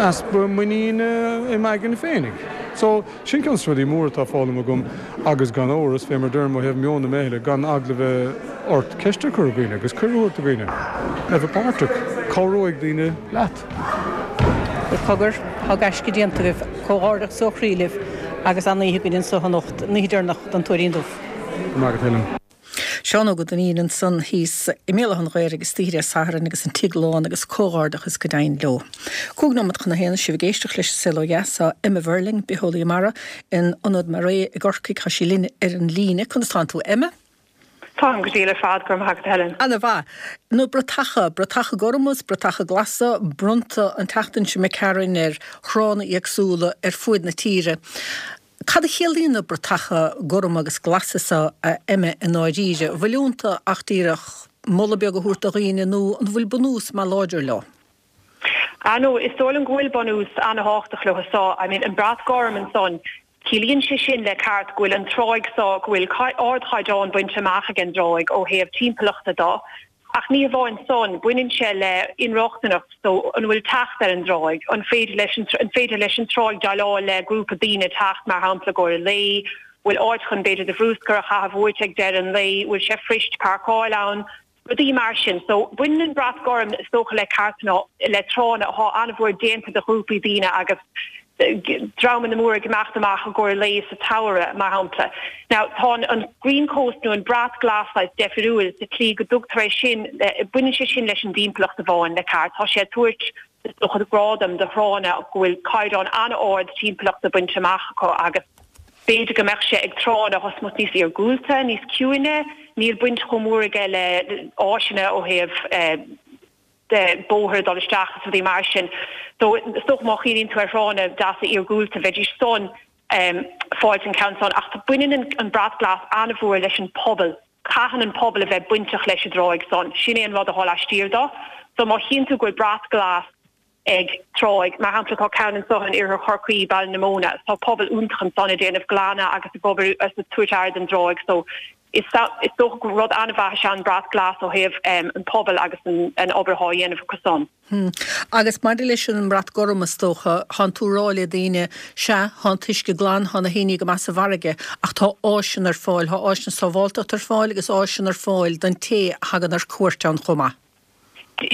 easpa muiníne i m'aigne féinig. So, Sin ceann de na rudaí móra atá foghlamtha agam agus gan amhras, fé mar deirim ó thaobh meon na meithle, gan eagla bheith ort ceist a chur ar dhaoine agus cuireadh a thabhairt do dhaoine a bheith páirteach. Cabhróidh daoine leat. Bhuel cogar, tá gaisce déanta agaibh. Comhghairdeachas ó chroí libh agus an-oíche againn anso anocht, an oíche deireanach den Tuairín Dubh. Go raibh maith agat, Helen. Seán Óg Ó Duinnín ansan thíos i mBéal Átha an Ghaorthaidh istoíche Dé Sathairn agus an tigh lán agus comhghairdeachas go deimhin leo. 5 nóiméad chun a haon, sibh ag éisteacht leis An Saol Ó Dheas, tá Emma Verling, bitheolaí mara in Ionad MARE i gCorcaigh, tá sí linn ar an líne. Conas tánn tú, Emma? Táim go diail ar fad, go raibh maith agat, Helen. Ana mhaith. Na bratacha, bratacha gorma is bratacha glasa, bronnta an tseachtain seo imigh tharainn ar thránna éagsúla ar fuaid na tíre. Cad a chiallaíonn na bratacha gorma agus glasa seo, a Emma, i ndáiríre? An bhfuil iontu ach díreach moladh beag a thabhairt do dhaoine nó an bhfuil bunús maith láidir leo? Ah no, is dóigh liom go bhfuil bunús ana-thábhachtach leo so. I mean, an brat gorm ansan, ciallaíonn sé sin le ceart go bhfuil an tráigh so, go bhfuil ardchaighdeán bainte amach ag an dtráigh ó thaobh timpeallachta do. Ach ní hamháin san, baineann sé le inrochtaineacht, so an bhfuil teacht ar an dtráigh, an féidir leis an an féidir leis an tráigh déileáil le grúpa daoine teacht mar shampla i gcomhair lae, bhfuil áit chun b'fhéidir do bhrúscar a chaitheamh uait ag deireadh an lae, bhfuil sé fuirist páirceáil ann, rudaí mar sin. So baineann an brat gorm is dócha le ceartanna, le tránna atá an-mhór déanta do ghrúpaí daoine agus dreamanna móra ag imeacht amach i gcomhair lae sa tsamhradh, mar shampla. Now, tá an Green Coast nó an brat glas saghas deifiriúil sa tslí go dtugtar é sin, baineann sé sin leis an dtimpeallacht amháin, le ceart. Tá sé ag tabhairt, is dócha, gradam do thránna go bhfuil caighdeán an-ard timpeallachta bainte amach acu agus b'fhéidir go mbeadh sé ag tránna atá smut níos iargúlta, níos ciúine, níl baint chomh mór aige le áiseanna ó thaobh. de bóthar dul isteach is rudaí mar sin. So is dócha má chuimhníonn tú ar thránna deasa iargúlta bheidís san fáilt an ceann san ach baineann an brat glas an-mhór leis an pobal. Caitheann an pobal a bheith bainteach leis an dtráigh san. Sin é an rud atá laistiar do. So má chíonn tú go bhfuil brat glas ag tráigh, mar shampla tá ceann anso in iarthar Chorcaí, Baile na Móna, tá pobal iontach ansan ag déanamh glanadh agus ag obair is ag tabhairt aire don dtráigh so Is dócha gur rud an-mhaith is ea an brat glas ó thaobh an pobail agus an obair atá á dhéanamh acu san. Agus maidir leis an mbrat gorm, is dócha, thánn tú ag rá le daoine, sea, thá an t-uisce glan, thá na héiní go maith sa bhfarraige, ach tá áiseanna ar fáil, thá áiseanna sábháltachta ar fáil agus áiseanna ar fáil don té a thagann ar cuairt ann chomh maith.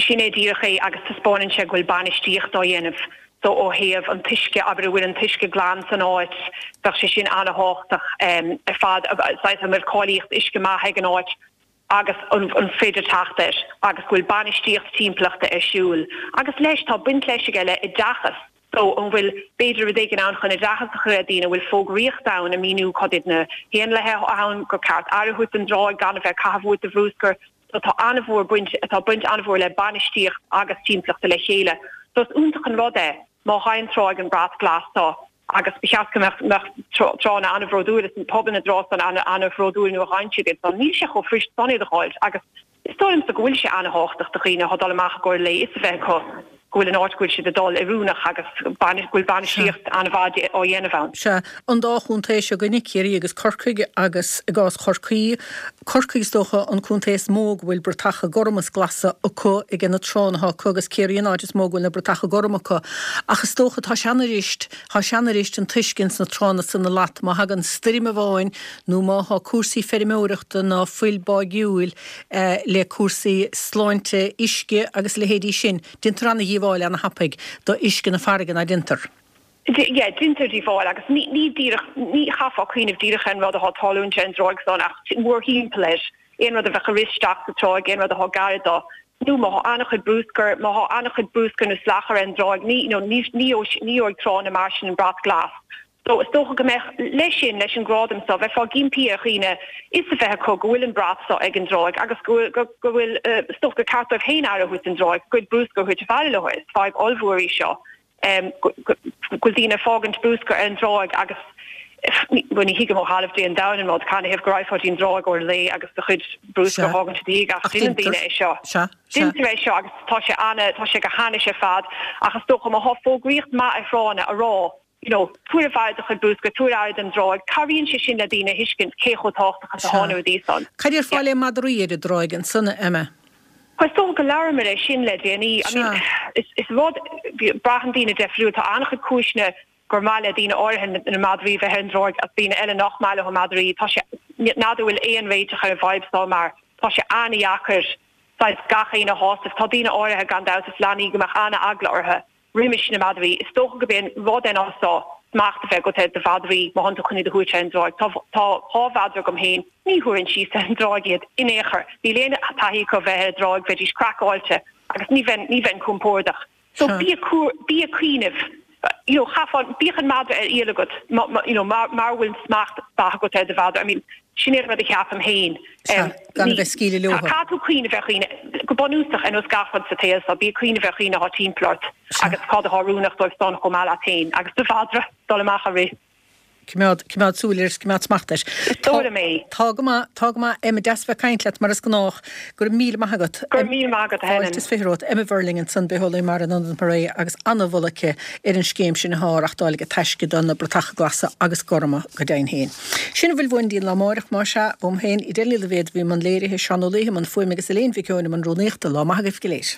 Sin é díreach é agus taispeánann sé go bhfuil bainistíocht á dhéanamh so ó thaobh an t-uisce, abair, an bhfuil an t-uisce glan san áit, bheadh sé sin an-thábhachtach ar fad, saghas an bhfuil cáilíocht uisce maith ag an áit agus an féidir teacht air agus go bhfuil bainistíocht timpeallachta ar siúl. Agus leis, tá baint leis aige le oideachas. So, an bhfuil, b'fhéidir, rud éigin ann chun oideachas a chur ar daoine, an bhfuil fógraíocht ann ag míniú cad iad na héanlaithe ann, gur ceart aire a thabhairt don dtráigh, gan a bheith ag caitheamh uait do bhrúscar. So tá an-mhór baint, tá baint an-mhór le bainistíocht agus timpeallachta le chéile. So is iontach an rud é má fhaigheann tráigh an brat glas so agus ba cheart go mbeadh, mbeadh tránna an-bhródúil is pobal na dtrá san an-bhródúil nuair a fhaigheann siad iad. So níl sé chomh fuirist san iad a dh'fháilt agus Is dóigh liomsa go bhfuil sé an-thábhachtach do dhaoine atá ag dul amach i gcomhair lae fhios a bheith acu go bhfuil an áit go bhfuil siad ag dul oiriúnach agus go bhfuil bainistíocht an-mhaith á dhéanamh ann. Sea, an dá chontae seo againne, Ciarraí agus Corcaigh, agus i gcás Chorcaí, Corcaigh is dócha an contae is mó go bhfuil bratacha gorma is glasa acu aige na tránna atá acu agus Ciarraí an áit is mó go bhfuil na bratacha gorma acu. Ach is dócha tá sé an-fhuirist, tá sé an-fhuirist an t-uisce ins na tránna san a slat má thagann stoirm amháin nó má thá cúrsaí feirmeoireachta ná fuil báigiúil le cúrsaí sláinte uisce agus a leithéidí sin, déantar ana-dhíobháil ana-thapaidh do uisce na farraige, ná déantar? Yeah, déantar díobháil agus ní, ní díreach, ní chaithfeá cuimhneamh díreach ar an rud atá ag tarlúint ar an dtráigh san ach mórthimpeall air, aon rud a bheadh ag rith isteach sa tráigh, aon rud atá gar do. Nó má thá an-chuid brúscair, má thá an-chuid brúscair nó salachar ar an dtráigh, ní, you know, ní, ní gheobhaidh tránna mar sin an brat glas. So, is dócha go mbeadh, leis sin, leis an gradam so, bheifeá ag impí ar dhaoine fhios a bheith acu go bhfuil an brat so ag an dtráigh agus go bhfuil, go, go bhfuil, is dócha gur ceart dóibh féin aire a thabhairt don dtráigh, a gcuid brúscair a thabhairt abhaile leo. Is fadhb ollmhór í seo. go bhfuil daoine ag fágaint brúscar ar an dtráigh agus bhuel ní thuigim ó thalamh Dé an domhain an rud, canathaobh go raghfá dtí'n dtráigh uair an lae agus do chuid brúscair a fhágaint i do dhiaidh ach déanann daoine é seo. Déantar é seo agus tá sé ana, tá sé go hainnis ar fad ach is dócha má thá fógraíocht maith ar thránna a rá you know tabhair abhaile do chuid brúscair, tabhair aire don dtráigh, cabhraíonn sé sin le daoine a thuiscint cé chomh tábhachtach is atá na rudaí san. Cad déarfá le madraí ar an dtráigh ansan, a Emma? Is dócha go labhramar é sin le déanaí. I mean, is rud, braitheann daoine deifriúil. Tá an-chuid cúiseanna gur maith le daoine áirithe na madraí bheith ar an dtráigh agus daoine eile nach maith leo madraí. Tá sé, n'fheadar an bhfuil aon réiteach ar an bhfadhb seo mar tá sé an-dheacair saghas gach éinne a shásamh. Tá daoine áirithe, gan dabht, is leanaí go mbeadh an-eagla orthu. roimis na madraí. Is dócha gurb é an rud é ná so smacht a bheith agat ar do mhadraí má thánn tú chun iad a thabhairt ar an dtráigh. Tá tá 2 mhadra agam féin, ní thabharfainn síos ar an dtráigh iad in aon chor. Níl aon taithí acu bheith ar an dtráigh, bheidís craiceáilte agus ní bheinn ní bheinn compordach. So bí ag bí ag cuimhneamh you know chaithfeá bíodh an madra ar iall agat má má you know mar mara bhfuil smacht mhaith agat ar do mhadra. I mean sin é an rud a cheapaim féin. Sea, gan a bheith ag scaoileadh leothu. Caithfidh tú cuimhneamh ar dhaoine, go bunúsach, ar nós gach rud sa tsaol seo, bí ag cuimhneamh ar dhaoine atá timpeall ort agus cad atá oiriúnach dóibh san chomh maith leat féin agus do mhadra dul amach ag rith. Coimeád, coimeád súil air is coimeád smacht air. Is dóigh liom é. Tá go maith, tá go maith. Emma, deas bheith ag caint leat mar is gnách. Go raibh míle maith agat. Go raibh míle maith agat, a Helen. Fáilte is 20 romhat. Emma Verling ansan, Bitheolaí Mara in Ionad Maree agus an-mholadh aici ar an scéim sin atá á reachtáil ag Taisce do na bratacha glasa agus gorma go deimhin féin. Sin a bhfuil uainn go dtí an lá amáireach, más ea, uaim féin, Edel Ní Loibhéad a bhí i mbun léirithe, Seán Ó Laoithe i mbun fuaime agus Elaine Mhic Eoin i mbun rúnaíochta. Lá maith agaibh go léir.